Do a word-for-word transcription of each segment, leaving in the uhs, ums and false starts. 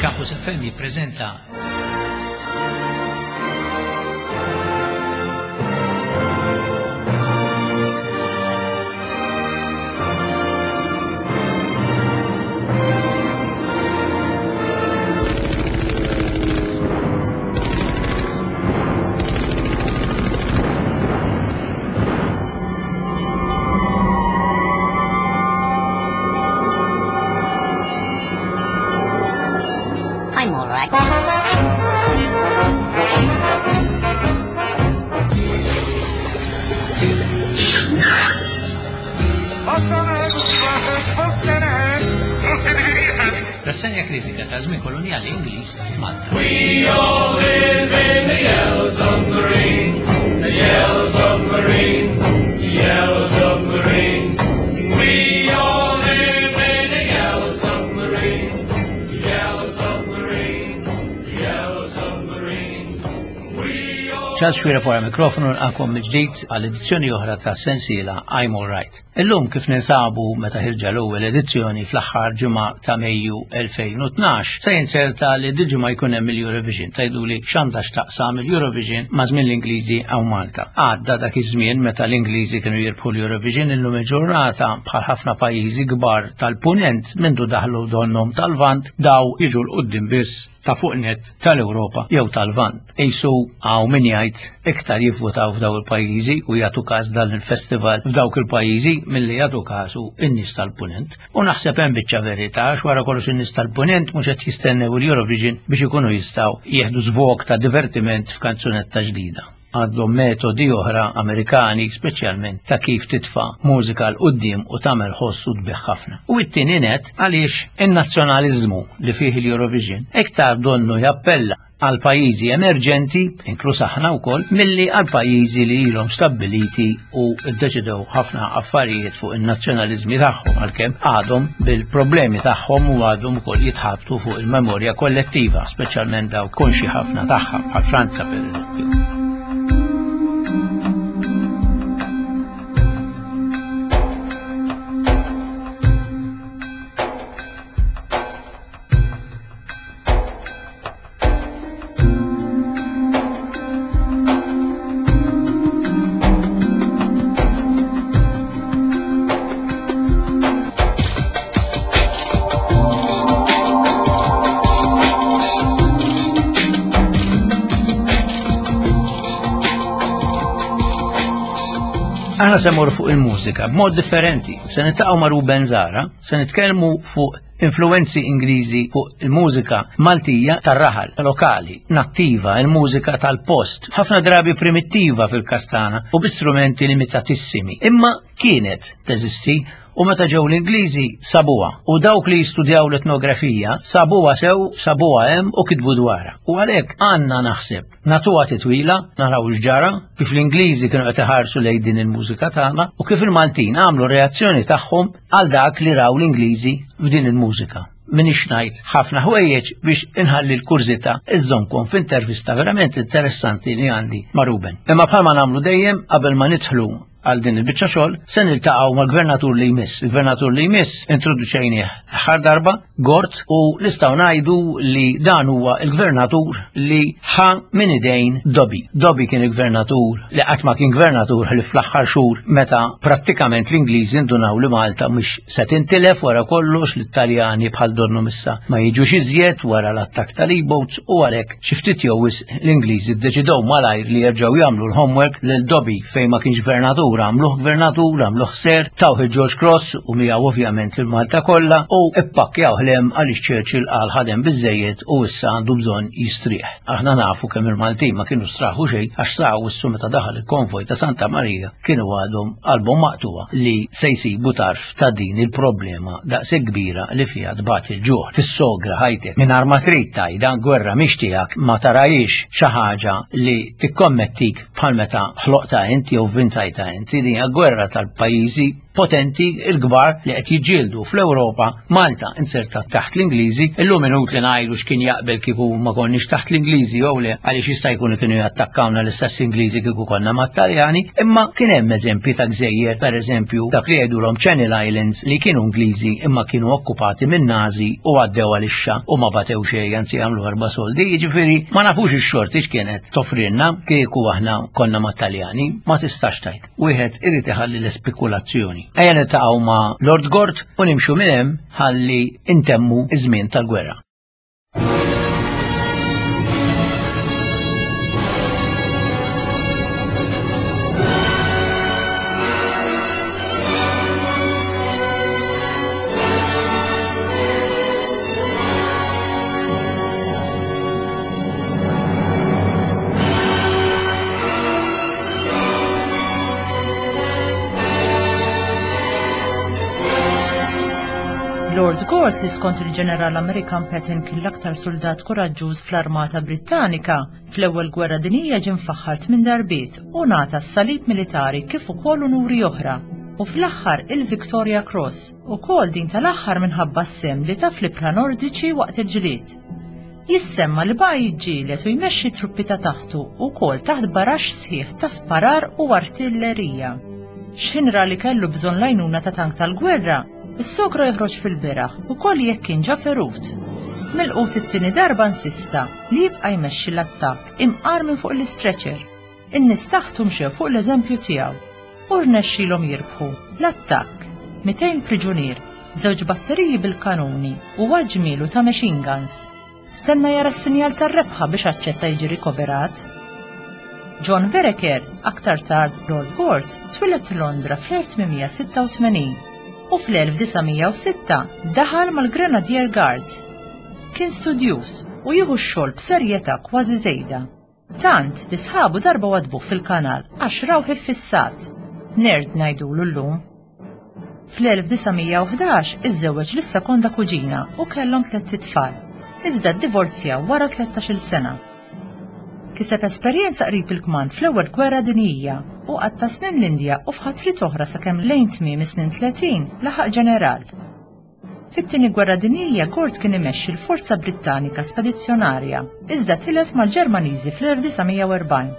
Campus F M jippreżenta I'm all right. Rassegna kritika ta' żmien koloniali Ingliż f'Malta. We all live in the yellow submarine, the yellow submarine, the yellow submarine. We all live in the yellow submarine, the yellow submarine, the yellow submarine. We all Charles Xuereb wara mikrofonu nilqakom mill-ġdid għal edizzjoni oħra ta' sensiela I'm All Right. Illum kif ninsabu meta ħirġa l-ewwel edizzjoni fl-aħħar ġimgħa ta' Mejju elfejn u tnax, se jinserta li dil-ġimgħa jkun hemm il-Eurovision. Tgħiduli x'għandha x'taqsam il-Eurovision ma' żmien l-Ingliżi hawn Malta. Għadda dak iż-żmien meta l-Ingliżi kienu jirbħu l-Eurovision, illum il-ġurnata bħal ħafna pajjiżi kbar tal-Punent mindu daħlu donnhom tal-Lvant daw jiġu l quddiem biss ta' fuq net tal-Ewropa jew tal-Lvant. Qisu hawn min jgħid iktar jivvutaw f'dawk il-pajjiżi u jagħtu każ dan il-festival f'dawk il-pajjiżi milli jagħtu kasu in-nies tal-Punent. U naħseb hemm biċċa verità għax wara kollox in-nies tal-Punent mhux qed jistennew il-Eurovision biex ikunu jistgħu jieħdu żvog ta' divertiment f'kanzunetta ġdida. Għandhom metodi oħra Amerikani, speċjalment ta' kif titfa' mużika l quddiem u tagħmel ħoss u tbigħ ħafna. U t-tieni net għaliex in-nazzjonaliżmu li fih il-Eurovision iktar donnu jappella għal pajjiżi emerġenti, inkluż aħna wkoll, milli għal pajjiżi li ilhom stabbiliti u ddeċidew ħafna affarijiet fuq in-nazzjonaliżmi tagħhom, għalkemm għadhom bil-problemi tagħhom u għadhom ukoll jitħabtu fuq il-memorja kollettiva, speċjalment dawk konxi ħafna tagħha, bħal Franza pereżempju. Aħna se mmorru fuq il-mużika b'mod differenti. Se niltaqgħu ma' Ruben Zahra, se nitkellmu fuq influenzi Ingliżi fuq il-mużika Maltija tar-raħal, lokali, nattiva, il-mużika tal-post, ħafna drabi primittiva fil-kastana u bi strumenti limitatissimi. Imma kienet teżisti u meta ġew l-Ingliżi sabuha, u dawk li jistudjaw l-etnografija sabuha sew, sabuha hemm u kitbu dwarha. U għalhekk għandna naħseb nagħtuha titwila, naraw x'ġara, kif l-Ingliżi kienu qed iħarsu lejn din il-mużika tagħna u kif il-Maltin għamlu reazzjoni tagħhom għal dak li raw l-Ingliżi f'din il-mużika. Minix ngħid ħafna ħwejjeġ biex inħalli l-kurżità iżżommkom f'intervista verament interessanti li għandi ma' Ruben. Imma bħalma nagħmlu dejjem qabel ma nidħlu għal din il-biċċa xogħol, se niltaqgħu mal-gvernatur li jmiss. Il-gvernatur li jmiss introduċejnieh l-aħħar darba, Gort, u nistgħu ngħidu li dan huwa l-gvernatur li ħa minn idejn Dobby. Dobby kien il-gvernatur li qatt ma kien gvernatur ħlief fl-aħħar xhur meta prattikament l-Ingliżi ndunaw li Malta mhux se tintilef wara kollox, l-Italjani bħal donnu missa ma jiġux iżjed wara l-attakk tal-E-boats, u għalhekk xi ftit jew wisq l-Ingliżi ddeċidew malajr li jerġgħu jagħmlu l-homework lil Dobby fejn ma kienx gvernatur, għamluh gvernatur, għamluh ser, tawh il-George Cross u miegħu ovvjament lil Malta kollha u ippakkjaw ħlem għaliex Churchill qal ħadem biżejjed u issa għandu bżonn jistrieħ. Aħna nafu kemm il-Maltin ma kienu straħu xejn għax sa wissu meta daħal il-konvoj ta' Santa Marija kienu għadhom qalbhom maqtuwa li se jsibu tarf ta' din il-problema daqshekk kbira li fiha tbagħat il-ġuħ. Tissogra ħajtek mingħajr ma trid tgħidha gwerra mhix tiegħek, ma tarajix xi ħaġa li tikkommettik bħal meta ħloqta inti jew vintajta inti. Din hija gwerra tal-pajjiżi potenti il-kbar li qed jiġġieldu fl-Ewropa. Malta inserta taħt l-Ingliżi, illum inutli ngħidu x'kien jaqbel kieku ma konniex taħt l-Ingliżi jew le, għaliex jista' jkun kienu jattakkawna l-istess Ingliżi kieku konna mat-Taljani, imma kien hemm eżempji ta' gżejjer, pereżempju dak li jgħidulhom Channel Islands li kienu Ingliżi imma kienu okkupati minn Nazi u għaddew għalixxa u ma batew xejn, anzi għamlu erba' soldi, jiġifieri ma nafux ix-xorti x'kienet toffrilna kieku aħna konna mat-Taljani, ma tistax tgħid. Wieħed irid iħalli l-ispekulazzjoni. Ejja niltaqgħu ma' Lord Gort u nimxu minn hemm ħalli intemmu iż-żmien tal-gwerra. Lord Gort, li skont il-ġeneral Amerikan Patton kien l-aktar soldat koraġġuż fl-Armata Brittanika, fl-ewwel gwerra dinjija ġie mfaħħar tmien darbiet u ngħata s-salib militari kif ukoll unuri oħra. U fl-aħħar il-Victoria Cross, ukoll din tal-aħħar minħabba s-sem li ta' fl-ibħra Nordiċi waqt il-ġlied. Jissemma li baqa' jiġġieled u jmexxi truppi ta' taħtu ukoll taħt baraxx sħiħ ta' sparar u artillerija. X'ħin ra li kellu bżonn l-għajnuna ta' tank tal-gwerra, is-sokra joħroġ fil-beraħ ukoll jekk kien ġa ferut. Milqut it-tieni darba insista li jibqa' jmexxi l-attakk imqar minn fuq l-istretcher. In-nies taħtu mxew fuq l-eżempju tiegħu u rnexxielhom jirbħu l-attakk, mitejn priġunier, żewġ batteriji bil-kanuni u ġmielu ta' machine guns. Stenna jara s-sinjal tar-rebħa biex aċċetta jiġi rikoverat. John Vereker, aktar tard Lord Gort, twieled Londra fl-elf tmien mija sitta u tmenin u fl-elf disa' mija u sitta daħal mal-Grenadier Guards. Kien studjuż u jieħu x-xogħol b'serjetà kważi żejda. Tant li sħabu darba wadbuh fil-kanal għax rawh iffissat. Nerd ngħidulu llum. Fl-elf disa' mija u ħdax iżżewweġ lis-sekonda kuġina u kellhom tlett itfal, iżda ddivorzjaw wara tlettax-il sena. Kiseb esperjenza qrib il-kmand fl-ewwel gwerra dinjija u qatta' snin l-Indja u f'ħatrit oħra sakemm lejn tmiem is-snin tletin laħaq ġeneral. Fit-tieni gwerra dinjija Gort kien imexxi l-Forza Brittanika Spedizzjonarja, iżda tilef mal-Ġermaniżi fl-elf disa' mija u erbgħin.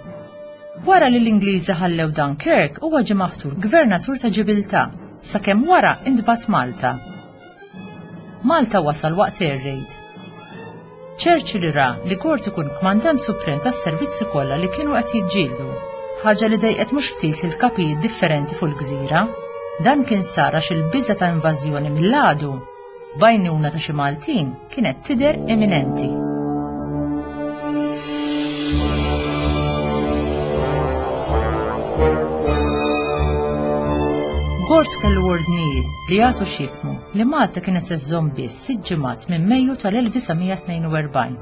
Wara li l-Ingliżi ħallew Dunkirk huwa ġie maħtur gvernatur ta' Ġibiltà sakemm wara intbagħat Malta. Malta wasal waqt air raid. Churchill ra li Gort ikun kmandant suprem tas-servizzi kollha li kienu qed jiġġieldu, ħaġa li dejqet mhux ftit lil kapijiet differenti fuq il-gżira. Dan kien sar għax il-biża' ta' invażjoni mill-għadu b'għajnuna ta' xi Maltin kienet tidher eminenti. Gort kellu ordnijiet li jagħtu x'jifhmu li Malta kienet se żżomm biss sitt ġimgħat minn Mejju tal-elf disa' mija tnejn u erbgħin.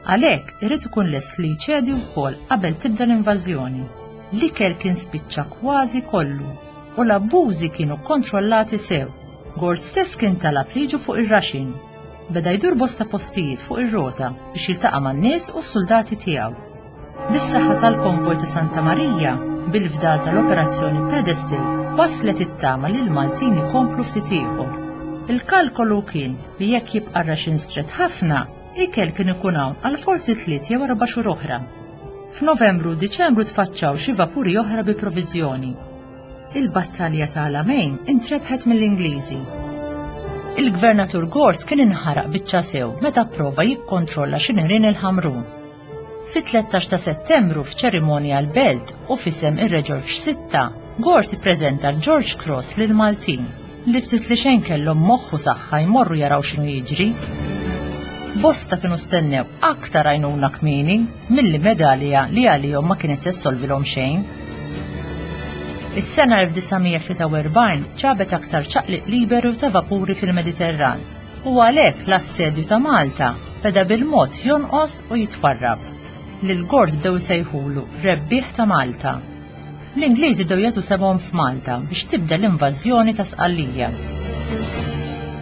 Għalhekk irid ikun lest li jċedi wkoll qabel tibda l-invażjoni. L-ikel kien spiċċa kważi kollu u l-abbużi kienu kontrollati sew. Gort stess kien talab li jiġu fuq ir-raxin. Beda jdur bosta postijiet fuq ir-rota biex jiltaqa' man-nies u s-soldati tiegħu. Bis-saħħa tal-konvoj ta' Santa Marija, bil-fdal tal-operazzjoni Pedestal, waslet it-tama li l-Maltin ikomplu ftit ieħor. Il-kalkolu kien li jekk jibqa' raxin stret ħafna, ikel kien ikun hawn għal forsi tliet jew erba' xhur oħra. F'Novembru u Diċembru tfaċċaw xi vapuri oħra bi proviżjoni. Il-battalja ta' Alamein intrebħet mill-Ingliżi. Il-Gvernatur Gort kien inħaraq biċċa sew meta prova jikkontrolla xi nirien il-Ħamrun. Fit-tlettax ta' Settembru f'ċerimonja l-Belt u f'isem ir-Re George sitta, Gort ippreżenta l-George Cross lil Maltin li ftit li xejn kellhom moħħu saħħa jmorru jaraw x'inhu jiġri. Bosta kienu stennew aktar għajnuna kmieni milli medalja li għalihom ma kienet se ssolvilhom xejn. Is-sena elf disa' mija tlieta u erbgħin ġabet aktar ċaqliq liberu ta' vapuri fil-Mediterran u għalhekk l-assedju ta' Malta beda bil-mod jonqos u jitwarrab. Lil Gort bdew isejħulu rebbieħ ta' Malta. L-Ingliżi bdew jagħtu sebhom f'Malta biex tibda l-invażjoni ta' Sqallija.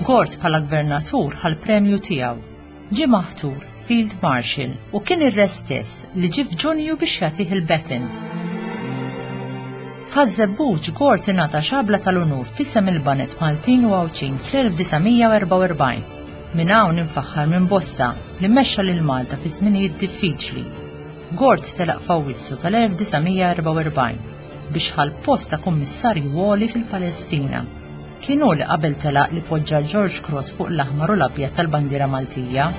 Gort bħala gvernatur ħa l-premju tiegħu. Ġie maħtur Field Marshal u kien ir-re stess li ġie f'Ġunju biex jagħtih il-baton. F'Ħaż-Żebbuġ Gort ingħata xabla tal-unur f'isem il-baned Maltin u Għawdxin fl-elf disa' mija u erbgħa u erbgħin. Minn hawn infaħħar minn bosta li mexxa lil Malta fi żminijiet diffiċli. Gort telaq f'Awwissu tal-elf disa' mija erbgħa u erbgħin biex ħa l-post ta' kummissarju għoli fil-Palestina. Kien hu li qabel telaq li poġġa l-George Cross fuq l-aħmar u l-abjad tal-bandiera Maltija.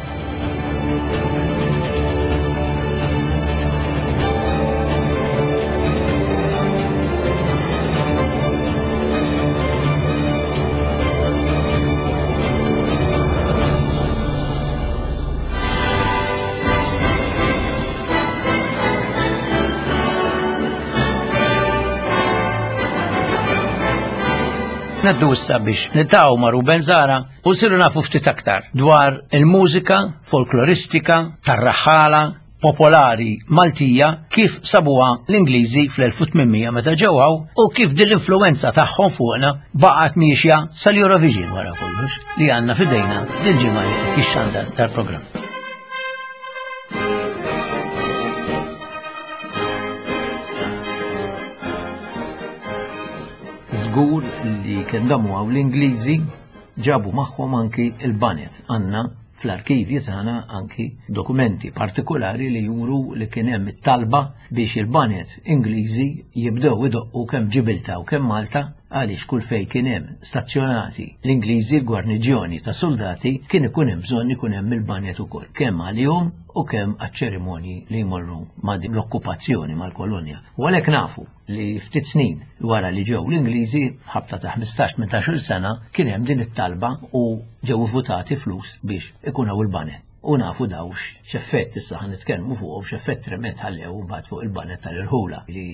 Naddu issa biex niltaqgħu ma' Ruben Zahra u nsiru nafu ftit aktar dwar il-mużika folkloristika tar-raħħala popolari Maltija kif sabuha l-Ingliżi fl-elf u tmien mija meta ġew hawn u kif din l-influenza tagħhom fuqna baqgħet miexja sal-Eurovision wara kollox li għandna f'idejna dil-ġimgħa li qed jixxandar tal-programm. Żgur li kemm damu hawn l-Ingliżi ġabu magħhom anki il-banet. Għandna fl-arkivji tagħna anki dokumenti partikolari li juru li kien hemm it-talba biex il-banet Ingliżi jibdew idoqqu kemm Ġibilta u kemm Malta għaliex kull fejn kien hemm stazzjonati l-Ingliżi l-gwarniġjoni ta' soldati kien ikun hemm bżonn ikun hemm il-banet ukoll kemm għalihom u kemm għaċ-ċerimonji li jmorru ma' din l-okkupazzjoni mal-kolonja. U għalhekk nafu li ftit snin wara li ġew l-Ingliżi ħabta ta' ħmistax tmintax-il sena kien hemm din it-talba u ġew votati flus biex ikun hawn il-banet. U nafu daw x'effett issa ħan nitkellmu fuq x'effett trement ħallew mbagħad fuq il-banet tal-irħula li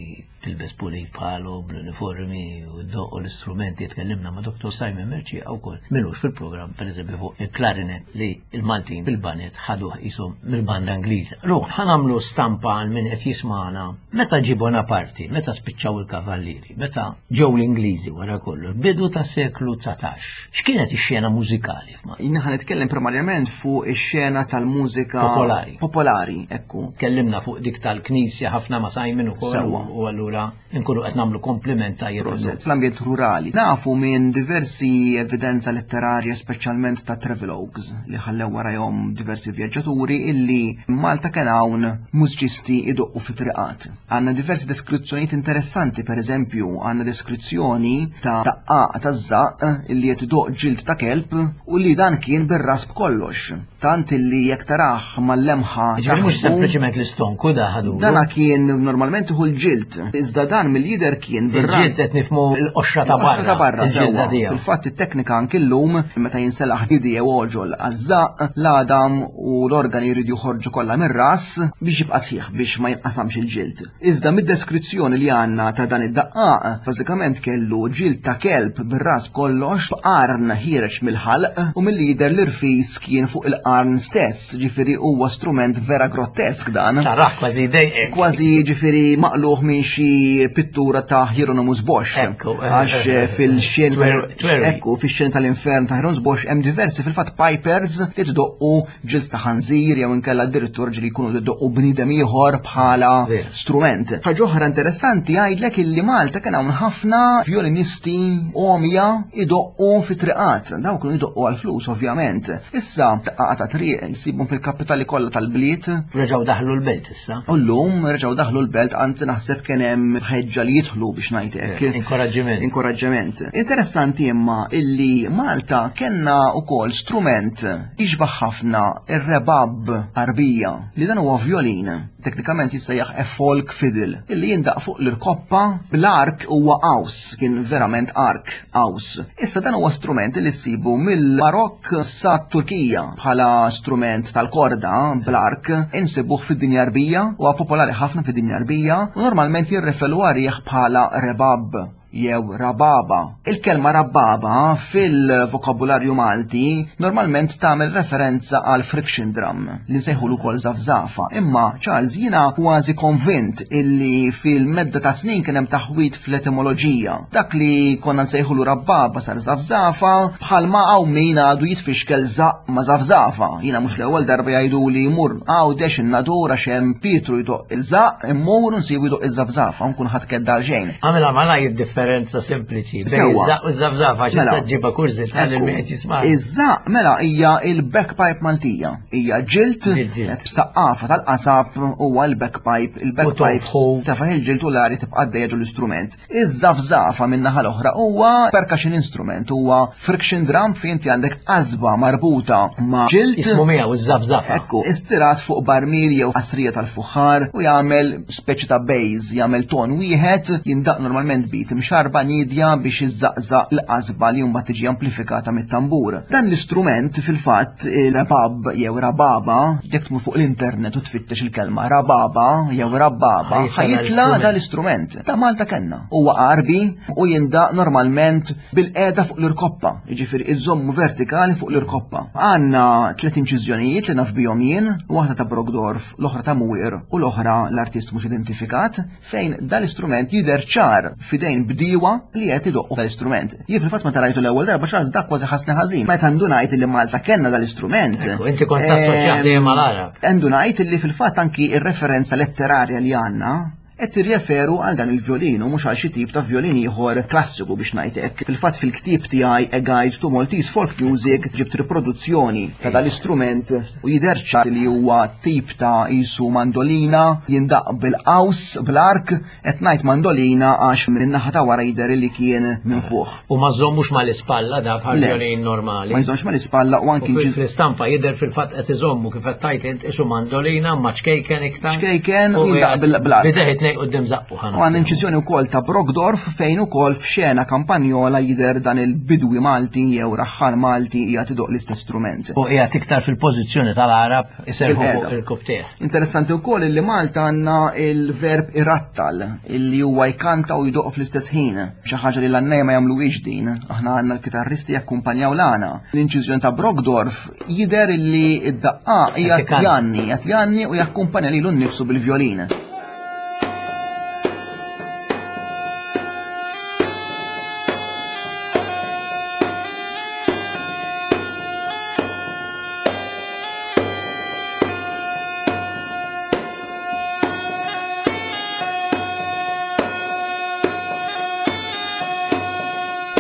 tilbes pulit bħalu bl-uniformi u d-doq u l-istrumenti. Tkellimna ma' Doktor Simon Mercieca wkoll minux fil-programm pereżempju fuq il-klarinet li il-Maltin bil-banet ħaduh qishom mill-banda Ingliża. Ruħ, ħa nagħmlu stampa għal min qed jismagħna meta ġie Bonaparte, meta spiċċaw il-kavallieri, meta ġew l-Ingliżi wara kollu, bidu ta' seklu dsatax. X'kienet ix-xena mużikali f'Malta? Jien ħa nitkellem primarjament fuq ix-xena tal-mużika popolari. Popolari, ekku. Kellimna fuq dik tal-knisja ħafna ma' Simon ukoll Sewwa. u allura nkunu qed nagħmlu kompliment tajjeb. Proset. Fl-ambjent rurali. Nafu minn diversi evidenza letterarja, speċjalment ta' travelogues li ħallew warahom diversi vjaġġaturi illi Malta kien hawn mużiċisti idoqqu fi triqat. Għandna diversi deskrizzjonijiet interessanti, per eżempju, għandna deskrizzjoni ta' daqqaq ta' żaqq illi qed idoqq ġild ta' kelb u li dan kien bir-ras b'kollox. Tant illi jekk taraħ mal-lemħa Ġifieri mhux taħsbu sempliċement l-istonku da ħadu. Dana kien normalment iħu l-ġild, iżda dan mill-lider kien bir-ras. Il-ġild qed nifhmu l-qoxra ta' Il-qoxra ta' barra, il-ġilda sewwa. tiegħu. Fil-fatt it-teknika anki llum meta jinselaħ nidi jew oġol għaż-żaqq, l-għadam u l-organi jridu joħorġu kollha mir-ras biex jibqa' sħiħ biex ma jinqasamx il-ġild. Iżda mid-deskrizzjoni li għandna ta' dan id-daqqaq, bażikament kellu ġild ta' kelb bir-ras kollox, b'qarn ħiereġ mill-ħalq u mill-lider l-irfis kien fuq il-qarn stess, ġifieri huwa strument vera grottesk dan. Taraħ kważi dejqek. Kważi ġifieri maqluħ minn xi pittura ta' Hieronymus Bosch. Ekku, eh, Għax eh, eh, fil-xen twer-, twerwi. ekku, fix-xen tal-infern ta' Hieronymus Bosch hemm diversi fil-fatt pipers li tdoqqu ġild ta' ħanżir jew inkella addirittura ġieli jkunu tdoqqu bniedem ieħor bħala Vera. strument. Ħaġa oħra interessanti jgħidlek illi Malta kien hawn ħafna violinisti omja idoqqu fi triqat. Dawk kienu idoqqu għal-flus ovvjament. Issa daqqaqa ta' triq nsibhom fil-kapitali kollha tal-bliet. Reġgħu daħlu l-belt issa. U llum reġgħu daħlu l-belt, anzi naħseb kien hemm ħeġġa li jidħlu biex ngħid hekk. Eh, inkoraġġiment. Inkoraġġiment. Interessanti imma illi Malta kellna wkoll strument jixbaħ ħafna ir-rebab Arbija li dan huwa violin. Teknikament jissejjaħ a folk fiddle illi jindaq fuq l-irkoppa bl-ark huwa qaws, kien verament ark qaws. Issa dan huwa strument li ssibu mill-Marokk sa Turkija bħala strument tal-korda bl-ark insibuh fid-dinja Arbija, huwa popolari ħafna fid-dinja Arbija u normalment jirreferu għalih bħala rebab jew rababa. Il-kelma rababa fil-vokabularju Malti normalment tagħmel referenza għal friction drum li nsejħulu ukoll żafżafa. Imma Charles, jiena kważi konvint illi fil-medda ta' snin kien hemm taħwit fl-etimoloġija. Dak li konna nsejħulu rabbaba sar żafżafa, bħalma hawn min għadu jitfixkel żaq ma' żafżafa. Jiena mhux l-ewwel darba jgħidu li jmur Għawdex in-Nadur għax hemm Pietru jdoqq iż-żaq, immur u nsibu jdoqq iż-żafżafa, nkun ħadd kedda għal xejn. Għamilha malajr differenza sempliċi bejn Sewwa. iż-żaq u ż-żafżafa għax Mela. issa ġġibha kurżità lil Ekku. min qed jisma'. Iż-żaq mela hija il-bagpipe Maltija. Hija ġilt Il-ġilt. b'saqqafa tal-qasab huwa l-bagpipe, il-bagpipes tonfħu. tafaħ il-ġilt u l-arja tibqa' għaddejja ġol l-istrument. Iż-żafżafa min-naħa l-oħra huwa percussion instrument, huwa friction drum fejn inti għandek qasba marbuta ma' ġilt. Ismu miegħu iż-żafżafa. Ekku, istirat fuq barmil jew qasrija tal-fuħħar u jagħmel speċi ta' bass, jagħmel ton wieħed, jindaq normalment bit imxarba nidja biex iżżaqżaq l-qasba li mbagħad tiġi amplifikata mit-tambur. Dan l-istrument fil-fatt il-rabab jew rababa, jekk tmur fuq l-internet u tfittex il-kelma rababa jew rabbaba, Ħajtla ħajitla dal-istrument. dal-istrument. Ta' Malta kellna. Huwa qarbi u jindaq normalment bil-qeda fuq l-irkoppa, jiġifieri iżommu vertikali fuq l-irkoppa. Għandna tliet inċiżjonijiet li naf bihom jien, waħda ta' Brogdorf, l-oħra ta' Muir u l-oħra l-artist mhux identifikat, fejn dal-istrument jidher ċar fidejn bdiewa li qed idoqqu dal-istrument. Jien fil-fatt meta rajtu l-ewwel darba Charles dak kważi ħassni ħażin. Meta ndunajt li Malta kellna dal-istrument. Ekku, inti kont tassoċjah dejjem mal-Għarab. Ndunajt li fil-fatt anki ir-referenza letterarja li għandna qed tirreferu għal dan il-violin u mhux għal xi tip ta' violin ieħor klassiku biex ngħid hekk. Fil-fatt fil-ktieb tiegħi A Guide to Maltese Folk Music ġibt riproduzzjoni ta' dal-istrument u jidher ċar li huwa tip ta' isu mandolina jindaq bil-qaws bl-ark, qed ngħid mandolina għax min-naħa ta' wara jidher li kien minn fuq. U ma żommux mal-ispalla da bħal Le. violin normali. Ma jżommx mal-ispalla u U anki fil- inċiż- fl-istampa jidher fil-fatt qed iżommu kif qed tgħid int isu mandolina ma ċkejken iktar. Ċkejken U u jindaq qiegħed bil- bl-ark. Bideh it-tnejn quddiem żaqqu ħana. U għan inċiżjoni wkoll ta' Brogdorf fejn ukoll f'xena kampanjola jidher dan il-bidwi Malti jew raħħal Malti qiegħed idoq l-istess strument. U qiegħed iktar fil-pożizzjoni tal-Għarab iserħu fuq Bil-qiegħda. il-kubtieħ. Interessanti wkoll li Malta għandna il-verb irattal illi huwa jkanta u jdoq fl-istess ħin. Xi ħaġa li l-għannejja ma jagħmluhiex din. Aħna għandna l-kitarristi jakkumpanjaw l-għana. L-inċiżjoni ta' Brogdorf jidher illi id-daqqa hija Qed ikanta. janni, qed janni u jakkumpanja lilu nnifsu bil-vjolin.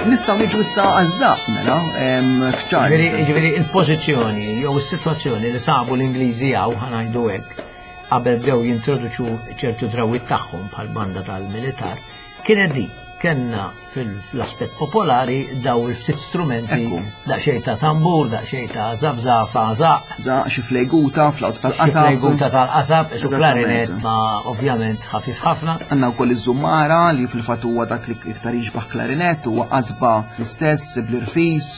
Nistgħu niġu issa għaż-żaq mela, em, Charles. Ġifieri ġifieri il-pożizzjoni jew is-sitwazzjoni li sabu l-Ingliżi hawn ħa ngħidu hekk qabel bdew jintroduċu ċertu drawwiet tagħhom bħal banda tal-militar kienet di. Kenna fil-aspett popolari daw il-ftit strumenti, Ekku. daqsxejn ta' tambur, daqsxejn ta' żafżafa, żaq, Żaq, xi flejguta, flawt xi tal-qasab. flejguta tal-qasab, isu Eżattament. klarinet ma ovvjament ħafif ħafna. Għanna wkoll iż-żummara li fil-fatt huwa dak li iktar jiġbaħ klarinet, huwa qasba l-istess bl-irfis,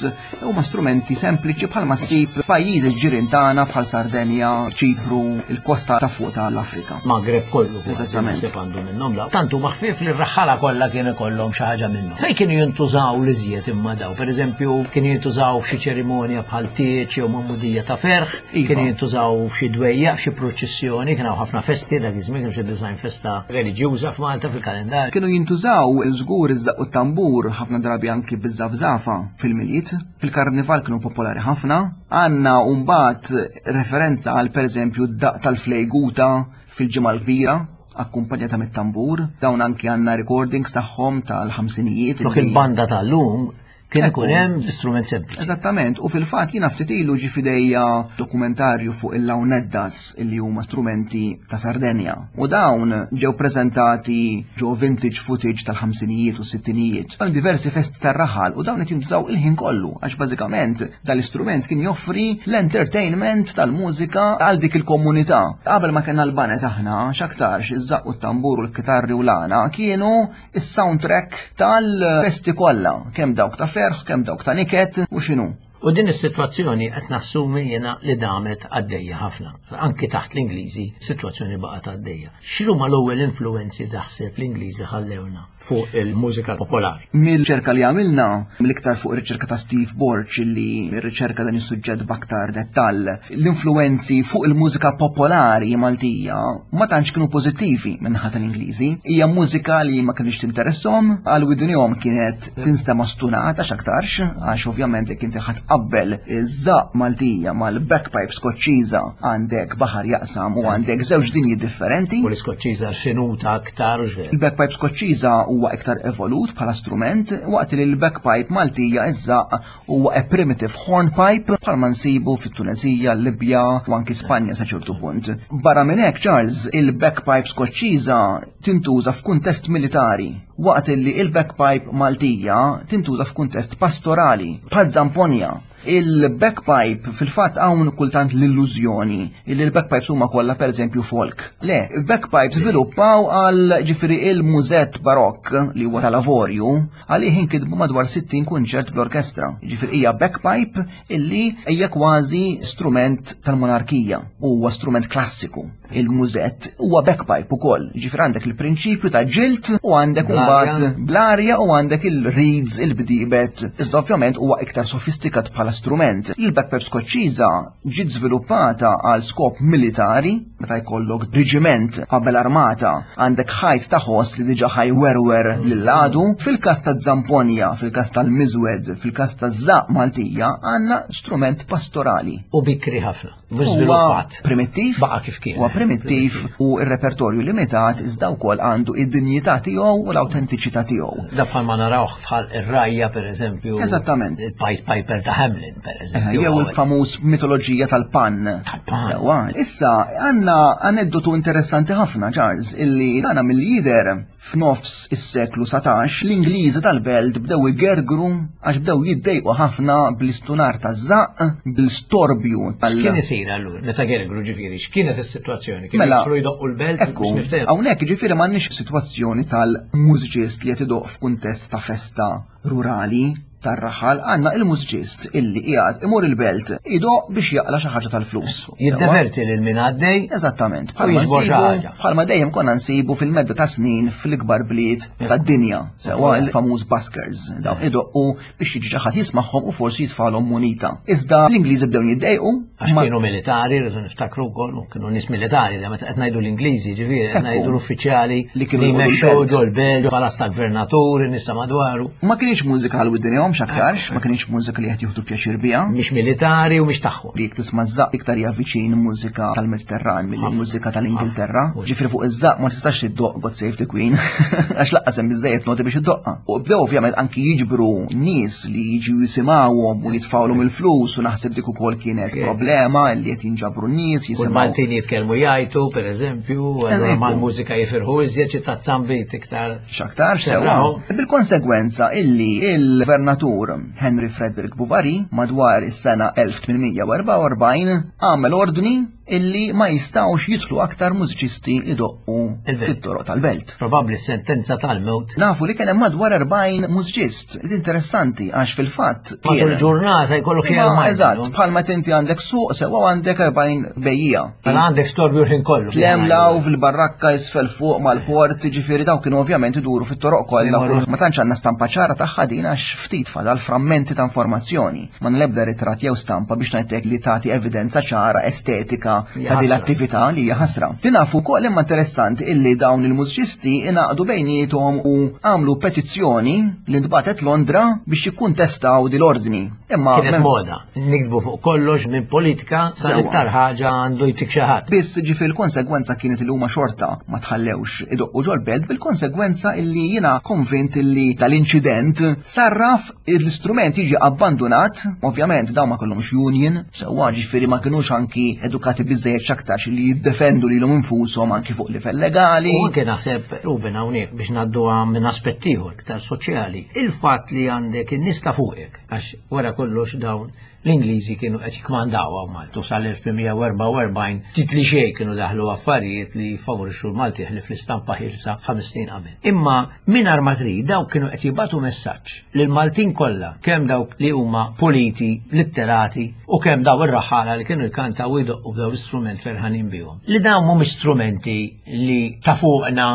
huma strumenti sempliċi bħalma ssib pajjiżi ġirien tagħna bħal Sardenja, Ċipru, il-kosta ta' fuq tal-Afrika. Magreb kollu kważi Eżattament. naħseb għandu minnhom daw. Tant huma ħfief li r-raħħala kollha kien ikollhom xi ħaġa minnhom. Fejn kienu jintużaw l-iżjed imma daw? Pereżempju, kienu jintużaw f'xi ċerimonja bħal tieġ jew magħmudija ta' ferħ, Iva. kienu jintużaw f'xi dwejja, f'xi proċessjoni, kien hawn ħafna festi dak iż-żmien, kien xi design festa reliġjuża f'Malta fil-kalendarju. Kienu jintużaw żgur iż-żaq u t-tambur ħafna drabi anki biż-żafżafa fil-Milied, fil-karnival kienu popolari ħafna. Għandna mbagħad referenza għal pereżempju d-daq tal-flejguta fil-Ġimgħa l-Kbira akkumpanjata mit-tambur, dawn anki għandna recordings tagħhom tal-ħamsinijiet. Flok illi- il-banda tal-lum kien Ekku. ikun hemm strument sempliċi. Eżattament, u fil-fatt jiena ftit ilu ġi fidejja dokumentarju fuq il-launeddas illi huma strumenti ta' Sardenja. U dawn ġew preżentati ġo vintage footage tal-ħamsinijiet u s-sittinijiet. Hemm diversi festi tar-raħal u dawn qed jintużaw il-ħin kollu għax bażikament dal-istrument kien joffri l-entertainment tal-mużika għal dik il-komunità. Qabel ma kellna l-banet aħna, x'aktarx iż-żaq u t-tambur u l-kitarri u l-għana kienu is-soundtrack tal-festi kollha, kemm dawk ta' ferħ, kemm dawk ta' niket u x'inhu. U din is-sitwazzjoni qed nassumi jiena li damet għaddejja ħafna. Anki taħt l-Ingliżi, sitwazzjoni baqgħet għaddejja. X'huma l-ewwel influenzi taħseb l-Ingliżi ħallewna fuq il-mużika popolari. Mill-riċerka li għamilna, mill-iktar fuq ir-riċerka ta' Steve Borg li riċerka dan is-suġġett b'aktar dettall, l-influenzi fuq il-mużika popolari Maltija ma tantx kienu pożittivi min-naħa tal-Ingliżi. Hija mużika li ma kienx tinteresshom, għal widnihom kienet tinstema' stunata x'aktarx, għax ovvjament jekk inti ħa tqabbel iż-żaqq Maltija mal-bagpipe Skoċċiża, għandek baħar jaqsam u għandek żewġ dinji differenti. U l-Iskoċċiża finuta aktar, u x'veru. Il-bagpipe Skoċċiża huwa iktar evolut bħala strument, waqt li l-bagpipe Maltija, iż-żaqq, huwa a primitive hornpipe bħalma nsibu fit-Tunezija, Libja u anki Spanja sa ċertu punt. Barra minn hekk, Charles, il-bagpipe Skoċċiża tintuża f'kuntest militari, waqt li il-bagpipe Maltija tintuża f'kuntest pastorali, bħal zamponja. Il-bagpipe, fil-fatt, hawn kultant l-illużjoni li l-bagpipes huma kollha pereżempju folk. Le, il-bagpipes żviluppaw għal, ġifieri, il-mużett barokk li huwa tal-avorju, għalih inkitbu madwar sittin kunċert bl-orkestra. Ġifieri hija bagpipe illi hija kważi strument tal-monarkija, huwa strument klassiku. Il-mużett huwa bagpipe ukoll. Ġifieri għandek il-prinċipju ta' ġilt u għandek Bl-arja. mbagħad bl-arja u għandek il-reeds, il-bdibet. Iżda ovvjament huwa iktar sofistikat bħala strument. Il-bagpipe Skoċċiża ġiet żviluppata għal skop militari, meta jkollok reġiment qabel armata, għandek ħajt ta' ħoss li diġà ħa jwerwer lill-għadu. Fil-każ ta' Zamponja, fil-każ tal-Miżwed, fil-każ ta' Żaqq Maltija, għandna strument pastorali. U bikri ħafna. Mhux Huwa żviluppat. primittiv. Baqa' kif kien. Huwa primittiv u r-repertorju limitat, iżda wkoll għandu id-dinjità tiegħu u l-awtentiċità tiegħu. Da bħal ma narawh bħal ir-rgħajja, per eżempju. Eżattament. Il-Pied Piper ta' Hamelin, per eżempju. Jew il-famuż mitoloġija tal-Pan. Tal-Pan. Sewwa. Issa, għandna aneddotu interessanti ħafna, Charles, illi dana mill-lider f'nofs is-seklu satax, l-Ingliżi tal-belt bdew igergru għax bdew jiddejqu ħafna bl-istunar taż-żaqq, bil-storbju tal- X'kien isir allura? Meta gergru, ġifieri, x'kienet is-sitwazzjoni? Kienu Mela, jidħlu jdoqqu l-belt Ekku, biex niftehmu. hawnhekk ġifieri m'għandniex sitwazzjoni tal-mużiċist li qed idoq f'kuntest ta' festa rurali tar-raħal, għandna il-mużiċist illi qiegħed imur il-belt idoq biex jaqla xi ħaġa tal-flus. Jiddeverti lil min għaddej. Eżattament, U bħalma jiġbor xi nsibu- ħaġa. bħalma dejjem konna nsibu fil-medda ta' snin fil-ikbar bliet tad-dinja, sewwa, il-famuż buskers, dawn idoqqu biex jiġi xi ħadd jismagħhom u forsi jitfalhom munita. Iżda l-Ingliżi bdew jiddejqu Għax ma- kienu militari, rridu niftakru wkoll, u kienu nies militari, da meta qed ngħidu l-Ingliżi, ġifieri qed Ekku. ngħidu l-uffiċjali Li kienu li jqogħdu jmexxu l-belt. ġol belt, palazz tal-gvernatur, in-nies ta' madwaru. Ma kienx mużika għal widnejhom x'aktarx, ma kienx mużika li qed jieħdu pjaċir biha. Mhix militari u mhix tagħhom. Li jekk tisma' żaqq iktar hija viċin mużika tal-Mediterran milli mużika tal-Ingilterra. Ġifieri fuq iż-żaqq ma tistax tiddoq God Save the Queen, għax lanqas hemm biżejjed noti biex iddoqqa. U bdew ovvjament anki jiġbru nies li jiġu jisimgħuhom u jitfawlhom il-flus, u naħseb dik ukoll kienet problema li qed jinġabru nies U jisimgħu. l-Maltin jitkellmu jgħajtu, per eżempju, allura Ekku. mal-mużika jifirħu iżjed, xi tazzambit iktar. X'aktar sewwa. Serraħu. Bil-konsegwenza illi il-gvernatur Henry Frederick Bouverie madwar is-sena elf tmien mija u erbgħa u erbgħin għamel ordni illi ma jistgħux jidħlu aktar mużiċisti idoqqu Il-belt. fit-toroq tal-belt. Probabbli sentenza tal-mewt. Nafu li kien hemm madwar erbgħin mużiċist. Interessanti għax fil-fatt Matul kien- ġurnata jkollok xi Ma, erbgħin, eżatt, no? bħalma inti għandek suq sewwa għandek erbgħin bejjiegħa. Mela għandek storbju l-ħin kollu. Tlemlaw fil-barrakka isfel fuq mal-port, ġifieri daw kienu ovvjament iduru fit-toroq kollha. Imorru. Ma tantx għandna stampa ċara tagħha din għax ftit fadal frammenti ta' informazzjoni. Ma nlebda ritratt jew stampa biex ngħidlek li tagħti evidenza ċara estetika Hija ta' din ħasra. l-attività li hija ħasra. Li nafu wkoll imma interessanti illi dawn il-mużiċisti ingħaqdu bejniethom u għamlu petizzjoni li ntbatet Londra biex jikkuntestaw din l-ordni. Imma Kienet mem- moda. Nikdbu fuq kollox minn politika Sewwa. sal-iktar ħaġa għandu jtik xi ħadd. Biss ġifieri l-konsegwenza kienet li huma xorta ma tħallewx idoqqu ġol-belt, bil-konsegwenza illi jiena konvint illi tal-inċident sarraf l-istrument jiġi abbandonat. Ovvjament dawn ma kellhomx union, sewwa, ġifieri ma kinux anki edukati biżejjed x'aktarx li jiddefendu lilhom infushom anki fuq livell legali. U anke naħseb, Ruben, hawnhekk biex ngħaddu minn aspett ieħor iktar soċjali. Il-fatt li għandek in-nies ta' fuqek, għax wara kollox dawn l-Ingliżi kienu qed jikmandaw hawn Maltu sal-elf tmien mija u erbgħa u erbgħin, ftit li xejn kienu daħlu affarijiet li favorixxu l-Malti ħlief l-istampa ħielsa ħames snin qabel. Imma mingħajr ma trid dawk kienu qed jibagħtu messaġġ lil Maltin kollha, kemm dawk li huma politi, litterati, u kemm daw ir-raħala li kienu jkantaw u jdoqqu b'daw l-istrument ferħanin bihom. Li dawn mhumiex strumenti li ta' fuqna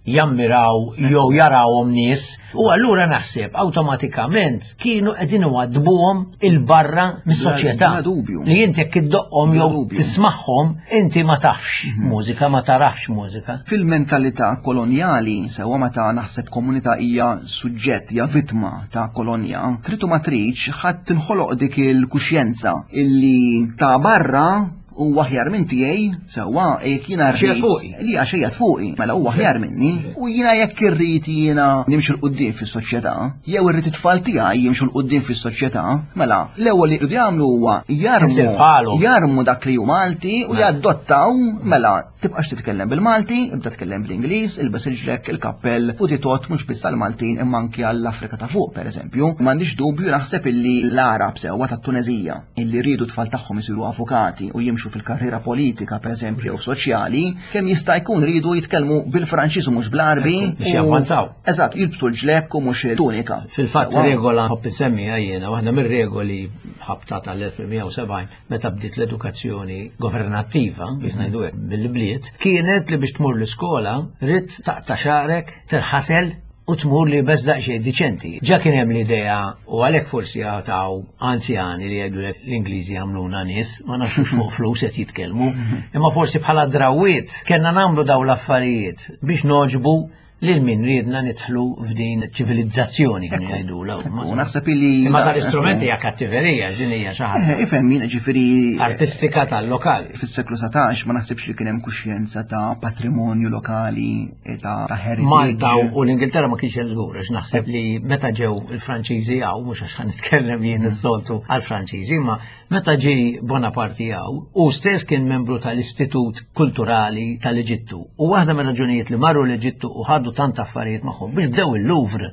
jammiraw jew jarawhom nies u allura naħseb awtomatikament kienu qegħdin iwaddbuhom il-barra mis-soċjetà. Bla dubju. Li inti jekk iddoqqhom Bla jew dubju. tismagħhom inti ma tafx mużika, ma tarafx mużika. Fil-mentalità kolonjali, sewwa meta naħseb komunità hija suġġett, hija vittma ta' kolonja, trid u ma tridx ħadd tinħoloq dik il-kuxjenza illi ta' barra huwa aħjar minn tiegħi, sewwa jekk jiena Xejn rrid fuqi. li għax qiegħed fuqi, mela huwa aħjar minni, u jiena jekk irrid jiena nimxu 'l quddiem fis-soċjetà, jew irrid it-tfal tiegħi jimxu 'l quddiem fis-soċjetà, mela l-ewwel li jridu jagħmlu huwa jarmu Isir bħalhom. jarmu dak li hu Malti u jaddottaw mela tibqax titkellem bil-Malti, ibda tkellem bl-Ingliż, ilbes il-ġlekk, il-kappell u titot mhux biss għall-Maltin imma anki għall-Afrika ta' fuq pereżempju. M'għandix dubju naħseb illi l-Arab sewwa tat-Tunezija illi rridu tfal tagħhom isiru avukati u jimxu fil-karriera politika pereżempju jew soċjali, kemm jista' jkun ridu jitkellmu bil-Franċiż u mhux bl-Arbi. Biex u- javvanzaw. Eżatt, jilbsu l-ġlekk u mhux il-tunika. Fil-fatt Sewwa. regola ħobb insemmiha jiena, waħda mir-regoli ħabta tal-elf sebgħin meta bdiet l-edukazzjoni governattiva, biex ngħidu hekk bil-bliet, kienet li biex tmur l-iskola rid taqta' xagħrek, tirħasel u tmur li bes daqsxejn diċenti. Ġa kien hemm l-idea u għalhekk forsi għataw anzjani li jgħidu l-Ingliżi għamluna nies, ma nafx fuq flus qed jitkellmu, imma forsi bħala drawiet kellna nagħmlu daw l-affarijiet biex noġbu lil min riedna nidħlu f'din ċivilizzazzjoni kienu jgħidulha. U naħseb illi Imma tal-istrumenti hija kattiverija, din hija xi ħaġa Eh, Ifhem jien ġifieri artistika tal-lokali. fis-seklu satax ma naħsibx li kien hemm kuxjenza ta' patrimonju lokali, eh, ta' ta' heritage. Malta u l-Ingilterra ma kienx hemm żgur, għax naħseb li meta ġew il-Franċiżi hawn, mhux għax nitkellem jien is-soltu għall-Franċiżi, imma meta ġie Bonaparte hawn, u stess kien membru tal-Istitut Kulturali tal-Eġittu. U waħda mir-raġunijiet li marru l-Eġittu u ħadu tant affarijiet magħhom biex bdew il-Louvre.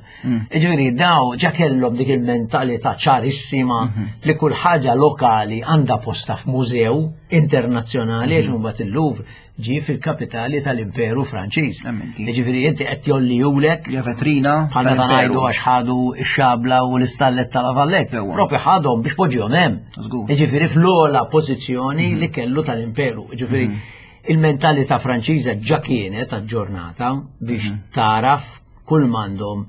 Ġifieri daw ġa kellhom dik il-mentalità ċarissima li kull ħaġa lokali għandha posta f'mużew internazzjonali għax imbagħad il-Louvre ġie fil-kapitali tal-Imperu Franċiż. Emmenti. Ġifieri inti qed jollijulek Hija vetrina bħal meta tal-imperu. ngħidu għax ħadu x-xabla u l-istallet tal-Avallek. Sewwa. Propju ħadhom biex poġġihom hemm. Żgur. Ġifieri fl-ogħla pożizzjoni li kellu tal-Imperu. Ġifieri il-mentalità Franċiża ġa kienet aġġornata biex taraf kull m'għandhom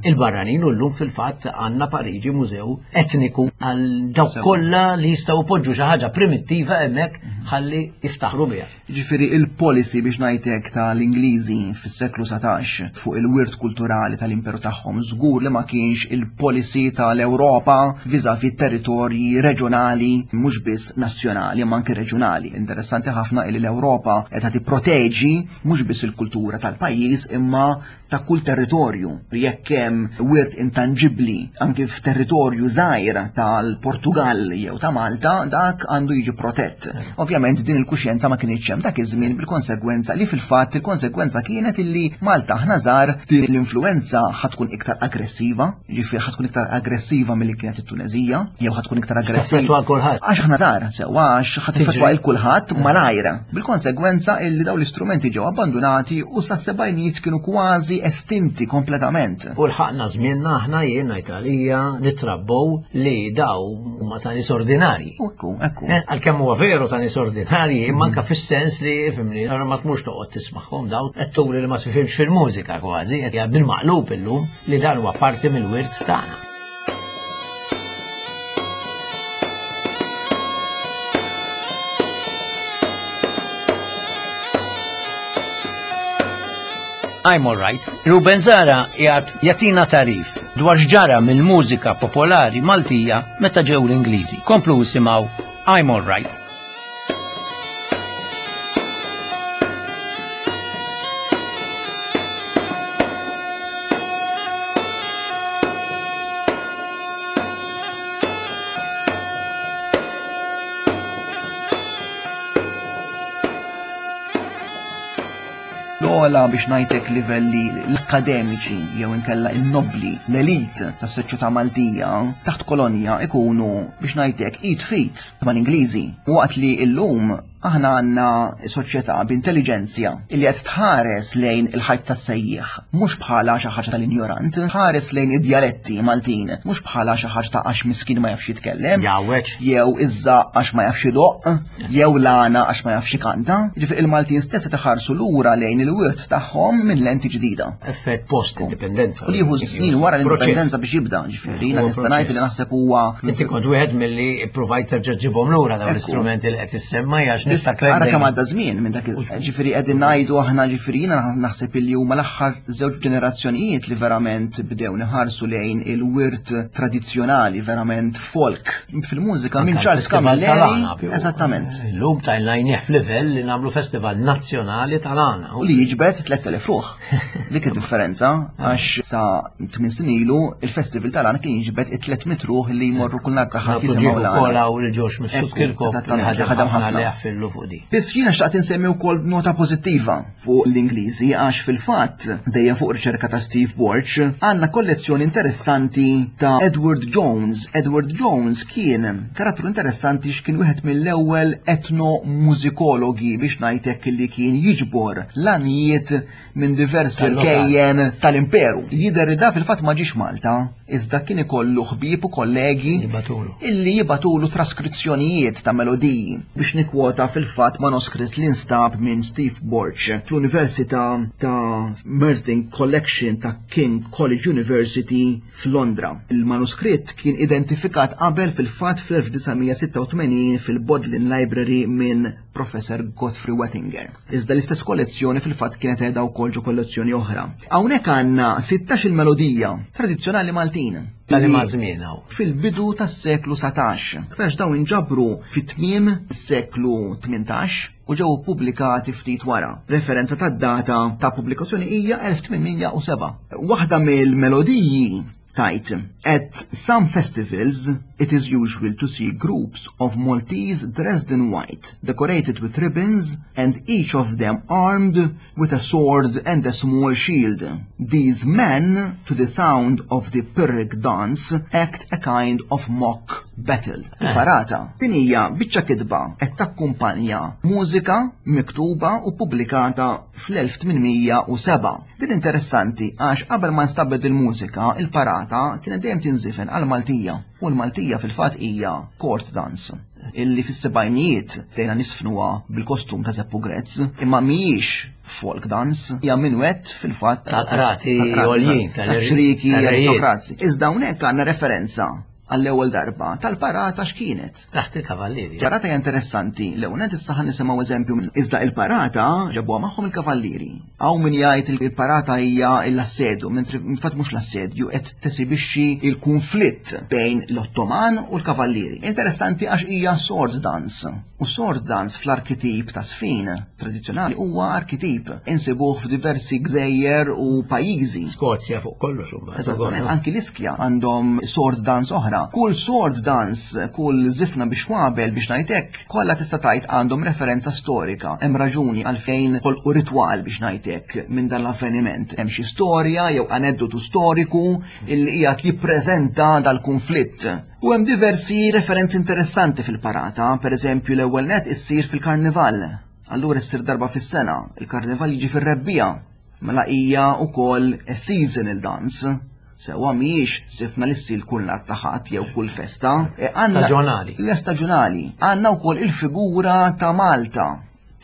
il-barranin u llum fil-fatt għandna Pariġi mużew etniku għal dawk Sewwa. kollha li jistgħu poġġu xi ħaġa primittiva hemmhekk ħalli jiftaħru biha. Ġifieri il-policy biex ngħidlek tal-Ingliżi fis-seklu satax fuq il-wirt kulturali tal-imperu tagħhom żgur li ma kienx il-policy tal-Ewropa vis-à-vis territorji reġjonali mhux biss nazzjonali imma anke reġjonali. Interessanti ħafna li l-Ewropa qed tipproteġi mhux biss il-kultura tal-pajjiż imma ta' kull territorju. Jekk hemm wirt intangibbli anke f'territorju żgħir tal-Portugal jew ta' Malta, dak għandu jiġi protett. Ovvjament din il-kuxjenza ma kienx hemm dak iż-żmien bil-konsegwenza li fil-fatt il-konsegwenza kienet illi Malta aħna żgħar din l-influenza ħa tkun iktar aggressiva, ġifieri ħa tkun iktar aggressiva milli kienet it-Tunezija, jew ħa tkun iktar aggressiva. Taffettwa kulħadd. Għax aħna żgħar, sewwa għax ħa teffettwa il kulħadd malajra. Bil-konsegwenza illi dawn l-istrumenti ġew abbandonati u sas-sebgħinijiet kienu kważi estinti kompletament. U lħaqna żmienna aħna jien ngħid għalija nitrabbow li daw huma ta' nies ordinarji. U ekku, ekku. Eh, Għalkemm huwa veru ta' nies ordinarji, imma anke fis-sens li fimni, allura ma tmurx toqgħod tismagħhom daw qed turi li ma tifhimx fil-mużika kważi, qed bil-maqlub illum li dan huwa parti mill-wirt tagħna. I'm alright. Ruben Zahra jgħat jagħtina tagħrif dwar x'ġara mill-mużika popolari Maltija meta ġew l-Ingliżi. Komplu isimgħu I'm alright. L-ogħla biex ngħidlek livelli l-akademiċi jew inkella in-nobli, l-elit tas-soċjetà Maltija taħt kolonja ikunu biex ngħidlek id f'id mal-Ingliżi. Waqt li illum Aħna għandna soċjetà b'intelliġenzja illi qed tħares lejn il-ħajt tas-sejjieħ, mhux bħala xi ħaġa tal-injorant, ħares lejn id-djaletti Maltin, mhux bħala xi ħaġa ta' għax miskin ma jafx jitkellem. Jawweġ. Jew iż-żaqq għax ma jafx idoqq, jew l-għana għax ma jafx ikanta. Ġifieri il-Maltin stess qed iħarsu lura lejn il-wirt tagħhom minn lenti ġdida. Effett post-indipendenza. U li jieħu snin wara l-indipendenza biex jibda, ġifieri jiena nista' ngħid li naħseb huwa Inti kont wieħed milli provajt terġa' ġibhom lura dawn l-istrumenti li qed issemma għax niftakar. Ara kemm għadda żmien minn dak ġifieri qegħdin ngħidu aħna ġifieri jiena naħseb illi huma l-aħħar żewġ ġenerazzjonijiet li verament bdew niħarsu lejn il-wirt tradizzjonali, verament folk fil-mużika minn Charles Camilleri. Eżattament. Illum tajlajnieh f'livell li nagħmlu festival nazzjonali tal-għana. U li jiġbed tlett elef ruħ. Dik id-differenza għax sa tmien snin ilu il-festival tal-għana kien jiġbed it-tliet mitt ruħ li jmorru kull nhar ta' Ħadd jisimgħu l-għana. U l-ġox mifsud Kirkop Eżattament, ħadem ħafna. Li jaffillu fuq di. Biss jiena xtaqt insemmi wkoll nota pożittiva fuq l-Ingliżi għax fil-fatt dejjem fuq riċerka ta' Steve Borg għandna kollezzjoni interessanti ta' Edward Jones. Edward Jones kien karattru interessanti x'kien wieħed mill-ewwel etnomużikologi biex ngħidlek li kien jiġbor l-għanijiet minn diversi rkejjen tal-imperu. Jidher li da fil-fatt ma ġiex Malta, iżda kien ikollu ħbieb u kollegi illi jibatulu traskrizzjonijiet ta' melodiji biex nikwota fil-fatt manuskritt li nstab minn Steve Borg fl-Università ta' Mersding Collection ta' King College University f'Londra. Il-manuskritt kien identifikat qabel fil-fatt fl-elf disa' mija sitta u tmenin fil-Bodleian Library minn Professor Godfrey Wettinger. Iżda l-istess kollezzjoni fil-fatt kienet qiegħda wkoll ġo kollezzjoni oħra. Hawnhekk għandna sittax il-melodija tradizzjonali Maltin. Tal ma żmien hawn. Fil-bidu tas-seklu satax. Aktarx dawn inġabru fit-tmiem is-seklu tmintax u ġew pubblikati ftit wara. Referenza tad-data ta' pubblikazzjoni hija elf tmien mija u seba'. Waħda mill-melodiji tajt, at some festivals it is usual to see groups of Maltese dressed in white, decorated with ribbons, and each of them armed with a sword and a small shield. These men, to the sound of the Pyrrhic dance, act a kind of mock battle. Parata. Din hija biċċa kitba qed takkumpanja mużika miktuba u pubblikata fl-elf tmien mija u seba'. Din interessanti għax qabel ma nstabet il-mużika, il-parata kienet dejjem tinżifen għal-Maltija. U l-Maltija fil-fatt hija court dance illi fis-sebgħinijiet dejna nisfnuha bil-kostum ta' Zeppu Grezz, imma mhijiex folk dance, hija minwett fil-fatt tal-qrati għoljin, tal-ċriki, tal-rejiet. aristokrazi. Iżda hawnhekk għandna referenza għall-ewwel darba tal-parata x'kienet. Taħt il-kavallieri. Parata hija interessanti, l-ewwel nett issa ħa nisimgħu eżempju minn iżda il-parata ġabuha magħhom il-kavallieri. Hawn min jgħid il-parata hija l-assedju, mentri infatti mhux l-assedju qed tesibixxi il-kunflitt bejn l-Ottoman u l-kavallieri. Interessanti għax hija sword dance. U sword dance fl-arkitip ta' sfin tradizzjonali huwa arkitip insibuh f'diversi gżejjer u pajjiżi. Skozja fuq kollox huma. Eżattament, anki l-Iskja għandhom sword dance oħra. Kull sword dance, kull zifna biex wabel biex ngħidlek, kollha tista' tgħid għandhom referenza storika. Hemm raġuni għalfejn ħolqu ritwal biex ngħidlek minn dan l-avveniment. Hemm xi storja jew aneddotu storiku illi qiegħed jippreżenta dal-kunflitt. U hemm diversi referenzi interessanti fil-parata, pereżempju l-ewwel net issir fil-karnival. Allura issir darba fis-sena, il-karnival jiġi fir-rebbija. Mela hija wkoll a seasonal dance. Sewa mhijiex sifna li ssir kull nhar ta' Ħadd jew kull festa. E għandna Staġjonali. Hija staġjonali. Għandna wkoll il-figura ta' Malta.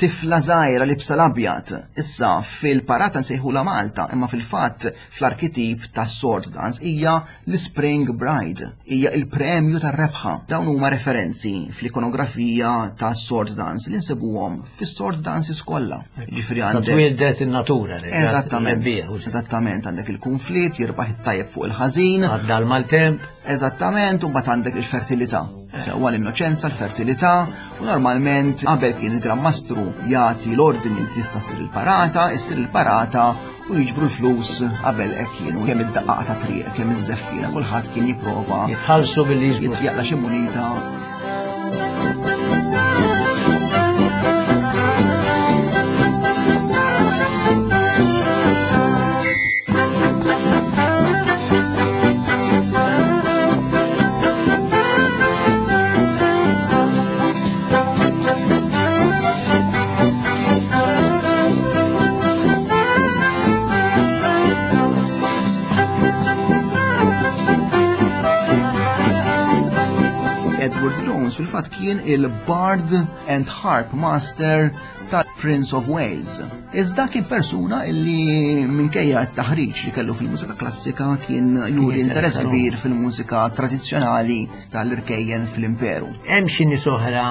Tifla żgħira li bsa l-abjad. Issa fil-parata nsejħula Malta, imma fil-fatt fl-arkitip ta' sword dance hija l-Spring Bride, hija il-premju tar-rebħa. Dawn huma referenzi fl-ikonografija ta' sword dance li nsibuhom fis-sword dances kollha. Ġifieri Sa għandek twildet in-natura, li Eżattament. rebbieħ, u Eżattament, għandek il-konflitt, jirbaħ it-tajjeb fuq il-ħażin. Għadda l-maltemp. Eżattament, u mbagħad għandek il-fertilità. Sewwa l-innoċenza, l-fertilità, u normalment qabel kien il-Gran Mastru jagħti l-ordni li tista' ssir il-parata, issir il-parata u jiġbru l-flus qabel hekk kienu kemm id-daqqaqa ta' triq, kemm iż-żeffina, kulħadd kien jipprova jitħallsu billi jiġbru. Jaqla xi munita. Edward Jones fil-fatt kien il-Bard and Harp Master tal-Prince of Wales. Iżda kien persuna illi minkejja t-taħriġ li kellu fil-mużika klassika kien juri interess interessu. kbir fil-mużika tradizzjonali tal-irkejjen fl-imperu. Hemm xi nies oħra,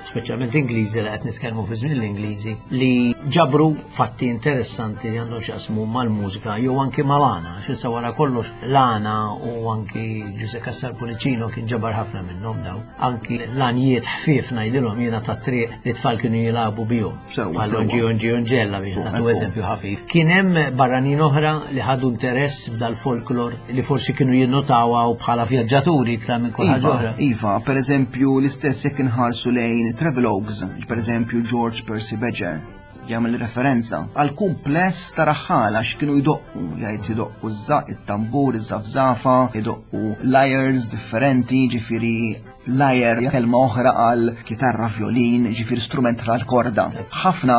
speċjalment Ingliżi li qed nitkellmu fi żmien l-Ingliżi, li ġabru fatti interessanti li għandhom x'jaqsmu mal-mużika jew anki mal-għana. X'issa wara kollox l-għana u anki Giuseppe Cassar Pullicino kien ġabar ħafna minnhom daw. Anki l-għanjiet ħfief ngħidilhom jiena tat-triq li tfal kienu jilagħbu bihom. Sewwa, Bħal sewwa. Onġi Onġi Onġella biex nagħtu Ekku. eżempju ħafif. Kien hemm barranin oħra li ħadu interess f'dal-folklor li forsi kienu jinnotawha u bħala vjaġġaturi iktar minn kull ħaġa Iva, oħra. iva, per eżempju, l-istess jekk inħarsu lejn travelogues, per eżempju George Percy Badger, jagħmel referenza għal kumpless ta' raħħala x'kienu jdoqqu, jgħid jdoqqu ż-żaq, it-tambur, iż-żafżafa, jdoqqu lyres differenti, ġifieri lyre kelma oħra għal kitarra, violin, ġifieri strument tal-korda. Ħafna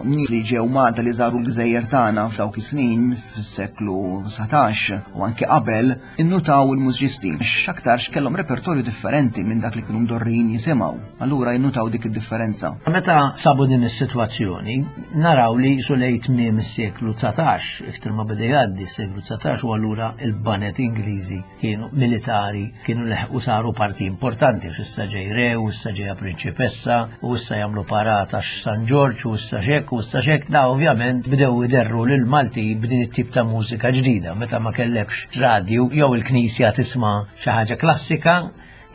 nies li ġew Malta li żaru l-gżejjer tagħna f'dawk is-snin fis-seklu dsatax u anke qabel innutaw il-mużiċisti x'aktarx kellhom repertorju differenti minn dak li kienu mdorrin jisimgħu. Allura jinnutaw dik id-differenza. Meta sabu din is-sitwazzjoni, naraw li su lejn tmiem is-seklu dsatax, iktar ma beda jgħaddi s-seklu dsatax u allura il-baned Ingliżi kienu militari, kienu leħqu saru parti importanti, għax issa ġej re, u issa ġejja prinċipessa, u issa jagħmlu parata San Ġorġ, u issa xek, u issa xek. Da ovvjament bdew iderru lil Malti b'din it-tip ta' mużika ġdida, meta ma kellekx radju jew il-knisja tisma' xi ħaġa klassika,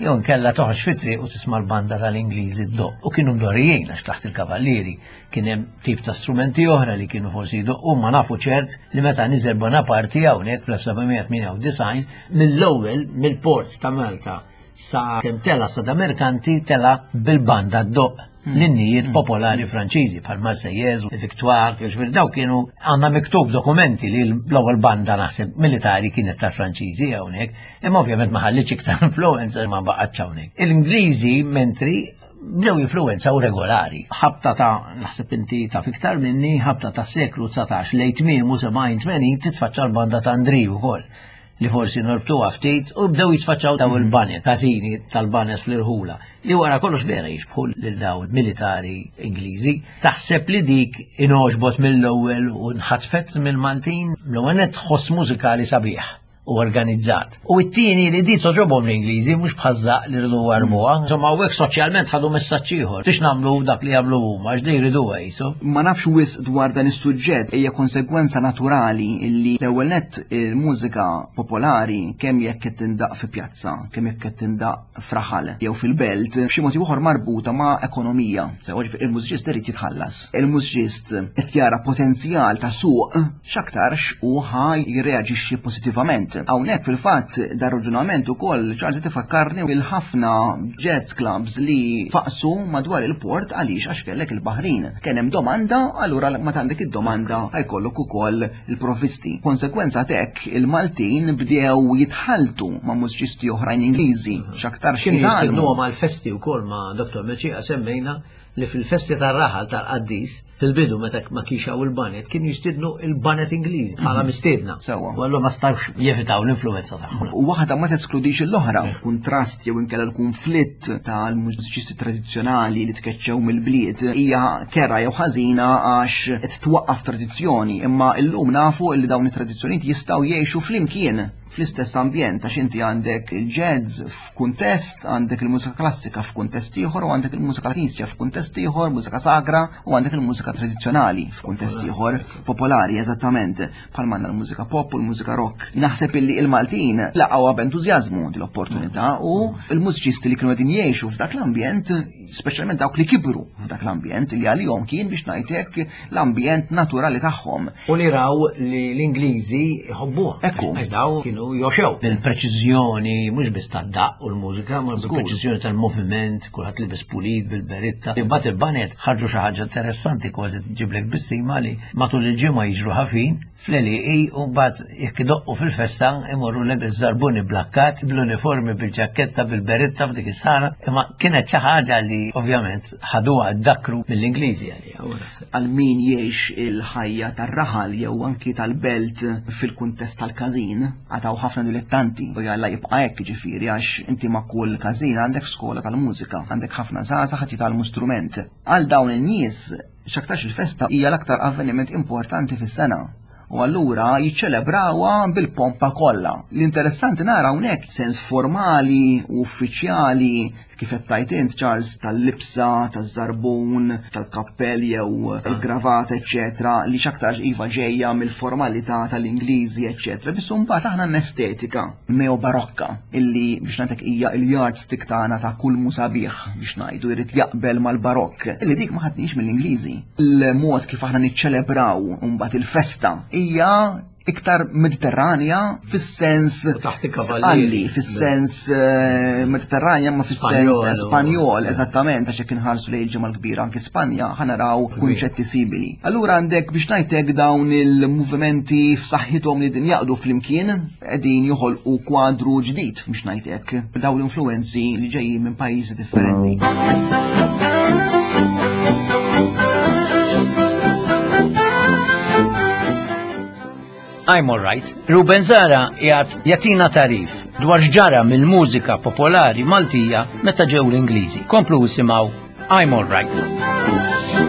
jew nkella toħroġ fit-triq u tisma' l-banda tal-Ingliżi ddoqq. U kienu mdorrijin għax taħt il-kavallieri kien hemm tip ta' strumenti oħra li kienu forsi jdoqqu, ma nafu ċert li meta niżel Bonaparte hawnhekk fl-elf seba' mija tmienja u disgħin mill-ewwel mill-port ta' Malta sa kemm tela sa da Merkanti tela bil-banda ddoqq l-innijiet popolari Franċiżi bħal Marseillaise, Victoire, ġifieri daw kienu għandna miktub dokumenti li l-ewwel banda naħseb militari kienet tal-Franċiżi hawnhekk, imma ovvjament ma ħallitx iktar influenza, ma baqgħetx hawnhekk. Il-Ingliżi mentri bdew influenza u regolari. Ħabta ta' naħseb inti ta' fiktar minni, ħabta ta' seklu dsatax lejn tmiemu sebgħin tmenin titfaċċa l-banda ta' Andriju wkoll li forsi norbtuha ftit u bdew jitfaċċaw daw il-baned, każini tal-baned fl-irħula, li wara kollox vera jixbħu lil daw militari Ingliżi. Taħseb li dik ingħoġbot mill-ewwel u nħatfet mill-Maltin? L-ewwel nett tħoss mużikali sabiħ u organizzat. U it-tieni li di toġobhom l-Ingliżi, mhux bħażżaq li rridu warbuha. Insomma, hawnhekk soċjalment ħadu messaġġ ieħor. Biex nagħmlu dak li jagħmlu huma, għax di jriduha jisu. Ma nafx wisq dwar dan is-suġġett, hija konsegwenza naturali illi l-ewwel nett il-mużika popolari, kemm jekk qed tindaq fi pjazza, kemm jekk qed tindaq f'raħal jew fil-belt, b'xi mod ieħor marbuta ma' ekonomija. Sewa, ġifieri il-mużiċist irid jitħallas. Il-mużiċist qed jara potenzjal ta' suq x'aktarx u ħa jirreaġixxi pożittivament. Hawnhekk fil-fatt dar raġunament ukoll, Charles, tifakkarni il-ħafna jazz clubs li faqsu madwar il-port. Għaliex? Għax kellek il-Baħrin. Kien hemm domanda, allura ma għandek id-domanda ħajkollok ukoll il-provvisti. Konsekwenza t'hekk il-Maltin bdew jitħaltu ma' mużiċisti oħrajn Ingliżi x'aktar Kienu jitgħallmu. jistednuhom għal-festi wkoll. Ma' Dottor Meċija semmejna li fil-festi tar-raħal tal-qaddis fil-bidu meta ma kienx hawn il-baned kienu jistidnu il-baned Ingliżi bħala mistiedna. Sewwa. U allura ma stawx jevitaw l-influenza tagħhom. U waħda ma teskludix l-oħra. Kuntrast jew inkella l-konflitt tal-mużiċisti tradizzjonali li tkeċċew mill-bliet hija kera jew ħażina għax qed twaqqaf tradizzjoni, imma llum nafu li dawn it-tradizzjonijiet jistgħu jgħixu flimkien fl-istess ambjent, għax inti għandek il-jazz f'kuntest, għandek il-mużika klassika f'kuntest ieħor u għandek il-mużika knisja f'kuntest ieħor, mużika sagra, u għandek il-mużika tradizzjonali f'kuntest ieħor popolari, eżattament bħal għandna l-mużika pop u l-mużika rock. Naħseb illi il-Maltin laqgħuha b'entużjażmu din l-opportunità u l-mużiċisti li kienu qegħdin jgħixu f'dak l-ambjent, speċjalment dawk li kibru f'dak l-ambjent, li għalihom kien, biex ngħidlek, l-ambjent naturali tagħhom. U li raw li l-Ingliżi jħobbuha. Ekku. Għax daw kienu joxew. Bil-preċiżjoni, mhux biss tad-daq u l-mużika, ma bil-preċiżjoni tal-moviment, kulħadd libes pulit bil-beritta. Imbagħad il-baned ħarġu xi ħaġa interessanti, kważi ġiblek bissima, li matul il-ġimgħa jiġru ħafin fl-għelieqi u mbagħad jekk idoqqu fil-festa imorru lek iż-żarbuni blakkat, bl-uniformi, bil-ġaketta, bil-beritta f'dik is-sala. Imma kienet xi ħaġa li ovvjament ħaduha ddakru mill-Ingliżi għalija. U naħseb. Għal min jgħix il-ħajja tar-raħal jew anki tal-belt fil-kuntest tal-każin, għataw Hawn ħafna dilettanti u jalla jibqa' hekk, ġifieri għax inti ma' kull każin għandek skola tal-mużika, għandek ħafna żgħażagħ qed jitgħallmu strument. Għal dawn in-nies x'aktarx il-festa hija l-aktar avveniment importanti fis-sena. U allura jiċċelebrawha bil-pompa kollha. L-interessanti nara hawnhekk sens formali u uffiċjali kif qed tajt int Charles tal-libsa, taż-żarbun, tal-kappell jew il-gravata, eċċetera, li x'aktarx iva ġejja mill-formalità tal-Ingliżi, eċċetera. Biss imbagħad aħna estetika neobarokka illi biex ngħidlek hija il-yardstick tagħna ta' kull musabiħ biex ngħidu jrid jaqbel mal-barokk. Illi dik ma ħadniex mill-Ingliżi. Il-mod kif aħna niċċelebraw mbagħad il-festa hija iktar mediterranja fis-sens U taħt il-kavallieri. Sqalli, fis-sens eh, mediterranja ma fis-sens Spanjol. Spanjol, eżattament, għax jekk inħarsu lejn il-ġimgħa l-kbira anki Spanja ħa naraw kunċetti simili. Allura għandek biex ngħidlek dawn il-movimenti f'saħħithom li din jaqdu flimkien qegħdin joħolqu kwadru ġdid biex ngħidlek dawn l-influenzi li ġejjin minn pajjiżi differenti. I'm alright. Ruben Zahra jgħat jagħtina tagħrif dwar x'ġara mill-mużika popolari Maltija meta ġew l-Ingliżi. Komplu isimgħu I'm alright.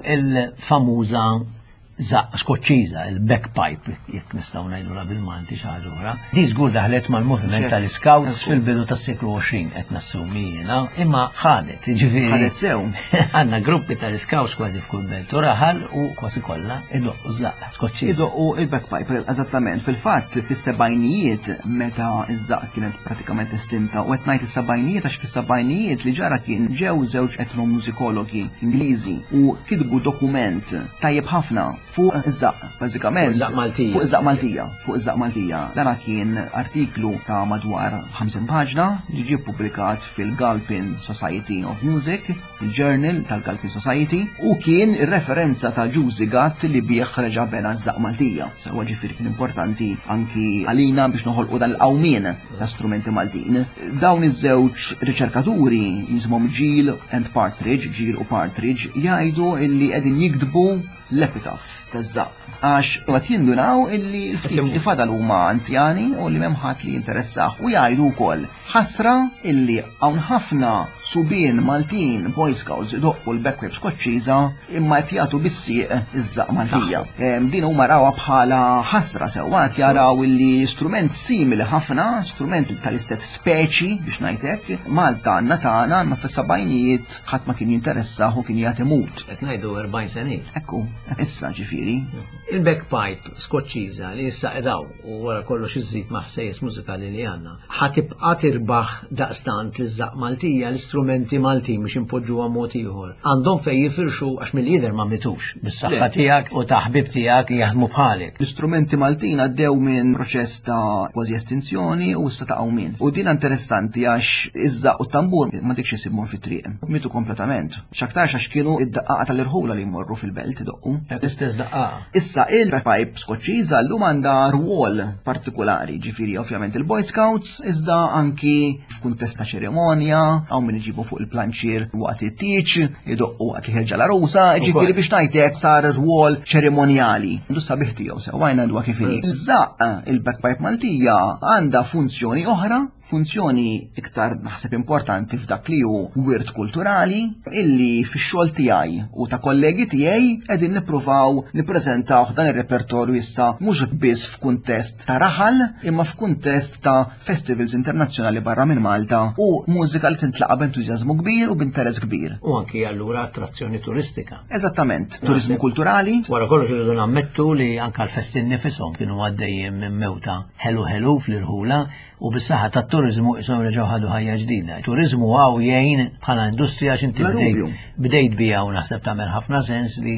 Il-famuża żaqq Skoċċiża, il-bagpipe, jekk nistgħu ngħidulha bil-Malti xi ħaġa oħra. Di żgur daħlet mal-moviment tal-Scouts fil-bidu tas-seklu għoxrin qed nassumi jiena, imma ħadet, ġifieri. Ħadet sew. Għandna gruppi tal-Scouts kważi f'kull belt u raħal u kważi kollha idoqqu żaqq Skoċċiża. Idoqqu il-bagpipe, eżattament. Fil-fatt, fis-sebgħinijiet meta iż-żaqq kienet pratikament estinta, u qed ngħid is-sebgħinijiet għax fis-sebgħinijiet li ġara kien ġew żewġ etnomużikologi Ingliżi u kitbu dokument tajjeb ħafna fuq iż-żaqq, bażikament. Fuq iż-żaqq Maltija. Fuq iż-żaqq Maltija, fuq iż-żaqq Maltija. Dan kien artiklu ta' madwar ħamsin paġna li ġie ppubblikat fil-Galpin Society of Music, il-Journal tal-Galpin Society, u kien ir-referenza ta' Ġużi Gatt li bih reġa' bena ż-żaqq Maltija. Sewwa ġifieri kien importanti anki għalina biex noħolqu dan il-qawmien ta' strumenti Maltin. Dawn iż-żewġ riċerkaturi jisimhom Gill and Partridge, Gill u Partridge, jgħidu illi qegħdin jiktbu l-epitaph taż-żaqq. Għax qed jindunaw illi l-ftit li fadal huma anzjani u li m'hemm ħadd li jinteressah u jgħidu wkoll ħasra illi hawn ħafna subien Maltin Boy Scouts idoqqu l-bagpipe Skoċċiża imma qed jagħtu bis-sieq iż-żaqq Maltija. Em, Din huma rawha bħala ħasra sewwa qed jaraw illi strument simili ħafna, strument tal-istess speċi biex ngħidlek, Malta għandna tagħna imma fis-sebgħinijiet ħadd ma kien jinteressah u kien jagħti mut. Qed ngħidu erbgħin sena. Ekku, issa ġifieri. Il-bagpipe Skoċċiża li issa edaw u wara kollox iżid ma' ħsejjes mużikali li għandna. Ħa tibqa' tirbaħ daqstant li żaqq Maltija l-istrumenti Maltin biex impoġġuha mod ieħor. Għandhom fejn jifirxu għax mill-jidher ma mitux bis-saħħa Le. tiegħek u ta' ħbib tiegħek jaħdmu bħalek. L-istrumenti Maltin għaddew minn proċess ta' kważi estinzjoni u issa ta' qawmien. U din interessanti għax iż-żaqq u t-tambur ma dikx isibhom fit-triq. Mitu kompletament. X'aktarx għax kienu id-daqqaqa tal-irħula li jmorru fil-belt idoqqu. L-istess daqqaqa. Issa il-bagpipe Skoċċiża llum għandha rwol partikolari, ġifieri ovvjament il-Boy Scouts, iżda anki f'kuntest ta' ċerimonja, hawn min iġibu fuq il-planċier waqt it-tieġ, idoqqu waqt li ħerġa l-arusa, ġifieri biex ngħidlek sar rwol ċerimonjali. Għandu sabiħ tiegħu sew għajna dwa kif inhi. Iż-żaqq il-bagpipe Maltija għandha funzjoni oħra, funzjoni iktar naħseb importanti f'dak li hu wirt kulturali illi fix-xogħol tiegħi u ta' kollegi tiegħi qegħdin nippruvaw nippreżentaw dan ir-repertorju issa mhux biss f'kuntest ta' raħal imma f'kuntest ta' festivals internazzjonali barra minn Malta u mużika li tintlaqa b'entużjażmu kbir u b'interess kbir. U anki allura attrazzjoni turistika. Eżattament, turizmu kulturali. Wara kollox irridu nammettu li anka l-festin nifisom kienu għaddejjin minn mewta ħelu ħelu fl-irħula u bis-saħħa tat-turizmu isom reġgħu ħadu ħajja ġdida. Turizmu hawn jgħin bħala industrija għax inti Bla bdejt dubju. bdejt bija u naħseb tagħmel ħafna sens li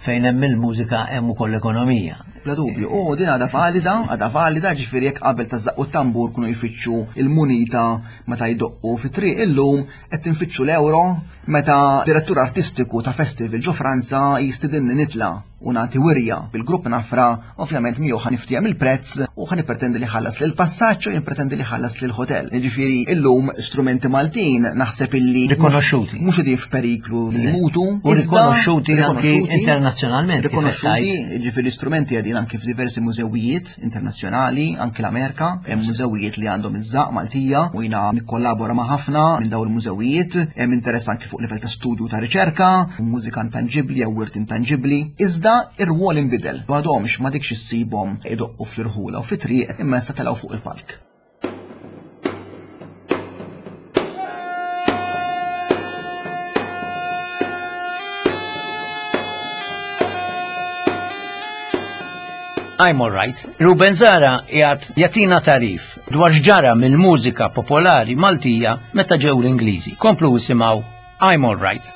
fejn hemm il-mużika hemm ukoll l-ekonomija. Bla dubju, u din għadha valida, għadha valida, ġifieri jekk qabel ta' żaqq u tambur kienu jfittxu il-munita meta jdoqqu fit-triq illum qed tinfittxu l-euro meta direttur artistiku ta' festival ġo Franza jistidinni nitla u nagħti wirja bil-grupp Nafra, ovvjament miegħu ħa niftiehem il-prezz u ħa nippretendi li ħallas lil passaġġ u nippretendi li ħallas lil hotel. Jiġifieri illum strumenti Maltin naħseb illi Rikonoxxuti. Mhux qegħdin f'periklu li jmutu. U iżda rikonoxxuti anki internazzjonalment, kif qed Rikonoxxuti, jiġifieri strumenti qegħdin anki f'diversi mużewijiet internazzjonali, anki l-Amerika, hemm mużewijiet li għandhom iż-żaqq Maltija u jiena nikkollabora ma' ħafna minn dawn il-mużewijiet, hemm interess anki fuq livell ta' studju ta' riċerka, mużika intangibbli jew wirt intangibbli. Iżda ir-rwol inbidel. M'għadhomx ma dikx issibhom idoqqu fl-irħula u fit-triq imma issa telgħu fuq il-palk. I'm alright. Ruben Zahra jgħat jatina tarif dwar x'ġara mill-mużika popolari Maltija meta ġew l-Ingliżi. Komplu isimgħu I'm alright.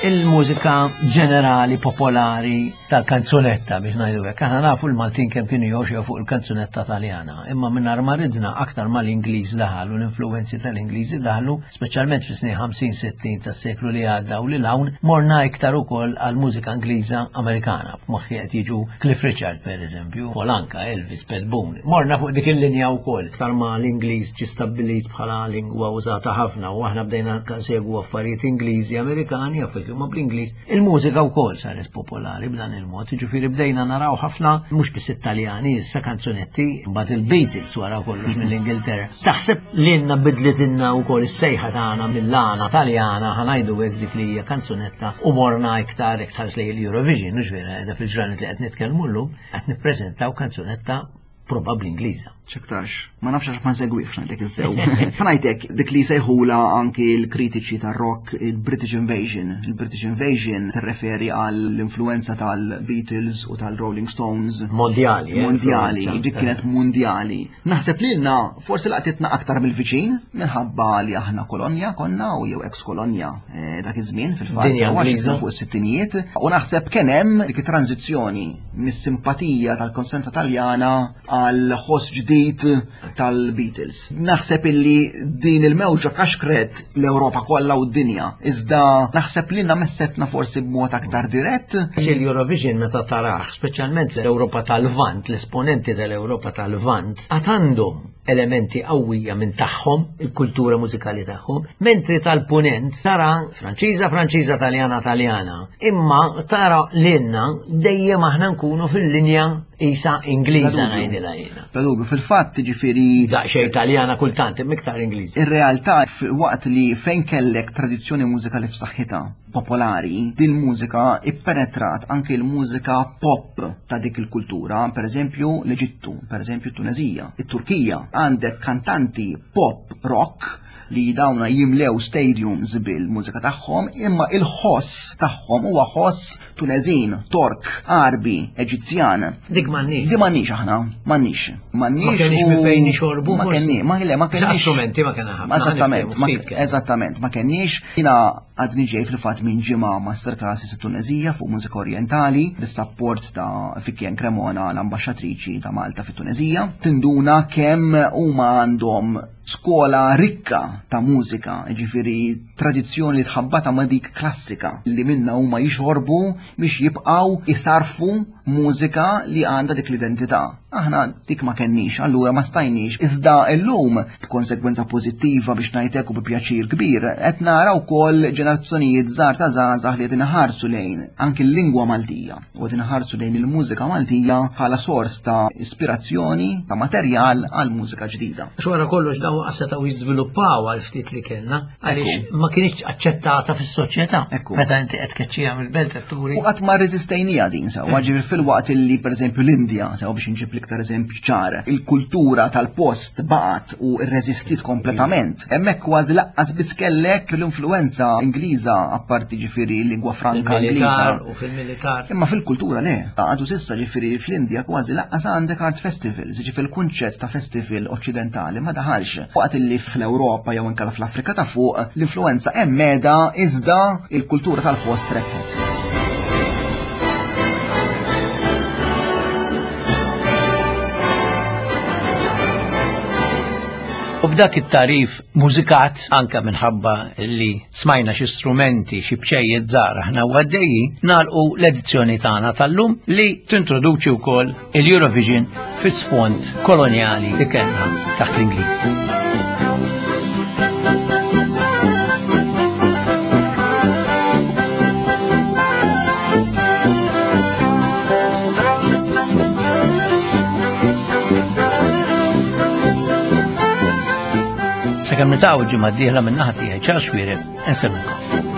Il-mużika ġenerali popolari tal-kanzunetta biex ngħidu hekk. Aħna nafu l-Maltin kemm kienu jgħoxew fuq il-kanzunetta Taljana, imma mingħajr ma ridna aktar ma l-Ingliż daħal u l-influenzi tal-Ingliżi daħlu, speċjalment fis-snin ħamsin sittin tas-seklu li għadda u lil hawn, morna iktar ukoll għal mużika Ingliża Amerikana. F'moħħi qed jiġu Cliff Richard pereżempju, Polanka, Elvis, Pat Boone. Morna fuq dik il-linja wkoll. Aktar ma l-Ingliż ġie stabbilit bħala lingwa użata ħafna u aħna bdejna nsegwu affarijiet Ingliżi Amerikani, affarijiet huma bl-Ingliż. Il-mużika wkoll saret popolari b'dan il-mod, jiġifieri bdejna naraw ħafna mhux biss Italjani, issa kanzunetti, mbagħad il-Beatles wara kollox mill-Ingilterra. Taħseb li lna bidlitilna wkoll is-sejħa tagħna mill-għana Taljana, ħa ngħidu hekk dik li hija kanzunetta u morna iktar iktar tħares lejn l-Eurovision, mhux vera, qiegħda fil-ġranet li qed nitkellmu llum, qed nippreżentaw kanzunetta probabbli Ingliża. X'aktarx, ma nafx għax ma nsegwihx ngħidlek is-sew. Ħa ngħidlek dik li sejħula anki l-kritiċi tar-rock il-British Invasion. Il-British Invasion tirreferi għall-influenza tal-Beatles u tal-Rolling Stones. Mondjali, eh, Mondjali, influenza. dik kienet mondjali. Naħseb lilna forsi laqtitna aktar mill-viċin minħabba li aħna kolonja konna u jew ex-kolonja, eh, dak iż-żmien fil-fatt, Dinja sewa, xi Ingliża. fuq is-sittinijiet. U naħseb kien hemm dik it-tranzizzjoni mis-simpatija tal-konsenza Taljana għal ħoss ġdid tal-Beatles. Naħseb illi din il-mewġa kaxkret l-Ewropa kollha u d-dinja. Iżda naħseb li messetna forsi b'mod aktar dirett. Għax il-Eurovision meta taraħ, speċjalment l-Ewropa tal-Lvant, l-esponenti tal-Ewropa tal-Lvant, għad għandhom elementi qawwija minn tagħhom, il-kultura mużikali tagħhom, mentri tal-punent tara Franċiża, Franċiża, Taljana, Taljana. Imma tara lilna dejjem aħna nkunu fil-linja isa Ingliża Bla dubju. ngħidilha jiena. Bla dubju, fil-fatt ġifieri Daqsxejn Taljana kultant, imma iktar Ingliża. Ir-realtà waqt li fejn kellek tradizzjoni mużikali f'saħħitha popolari, din mużika ippenetrat anke l-mużika pop ta' dik il-kultura, per eżempju l-Eġittu, per eżempju Tunezija, it-Turkija, għandek kantanti pop rock li dawna jimlew stadiums bil-mużika tagħhom, imma il-ħoss tagħhom huwa ħoss Tunezin, Tork, Arbi, Eġizzjan. Dik m'għandniex. Di m'għandniex aħna, m'għandniex. M'għandniex Ma kenniex u minn fejn nixorbu, Ma forsi. kenniex, ma le, ma kenniex. Strumenti ma kellna ħafna, Eżattament, ħaniftiehmu ma ftit kellna. eżattament, ma kenniex. Jiena għadni ġej fil-fatt minn ġimgħa masterclasses fit-Tunezija fuq mużika orientali, bis-sapport ta' Fikjen Cremona, l-ambaxxatriċi ta' Malta fit-Tunezija. Tinduna kemm huma għandhom skola rikka ta' mużika, ġifieri tradizzjoni li tħabbata ma' dik klassika li minna huma jixorbu biex jibqgħu isarfu mużika li għandha dik l-identità. Aħna dik ma kenniex, allura ma stajniex. Iżda llum, b'konsegwenza pożittiva biex ngħidlek u bi pjaċir kbir, qed nara wkoll ġenerazzjonijiet żgħar ta' żgħażagħ li qed inħarsu lejn anki l-lingwa Maltija u qed inħarsu lejn il-mużika Maltija bħala sors ta' ispirazzjoni, ta' materjal għal mużika ġdida. Għax wara kollox dawn setgħu jiżviluppaw għal ftit li kellna, għaliex ma kienx aċċettata fis-soċjetà. Ekku. Meta inti qed tkeċċiha mill-belt qed turi. U qatt ma rreżistejnija din sewa, ġifieri fil-waqt illi pereżempju l-Indja, sewa biex inġib l-iktar eżempju ċar. Il-kultura tal-post baqgħet u rreżistiet kompletament. Hemmhekk kważi lanqas biss kellek l-influenza Ingliża, apparti ġifieri lingwa franka Ingliża. Fil-militar u fil-militar. Imma fil-kultura le, għadu s'issa ġifieri fl-Indja kważi lanqas għandek art festivals, ġifieri l-kunċett ta' festival oċċidentali ma daħalx. Waqt illi fl-Ewropa jew inkella fl-Afrika ta' fuq l-influenza hemm meda, iżda il-kultura tal-post rebħet. U b'dak it-tarif mużikat, anka minħabba li smajna xi strumenti, xi bċejjiet żgħar aħna u għaddejjin, nagħlqu l-edizzjoni tagħna tal-lum li tintroduċi wkoll il-Eurovision fi sfond kolonjali li kellna taħt l-Ingliż. Sakemm niltaqgħu ġimgħa d-dieħla, minn naħa tiegħi Charles Xuereb, insellmilkom.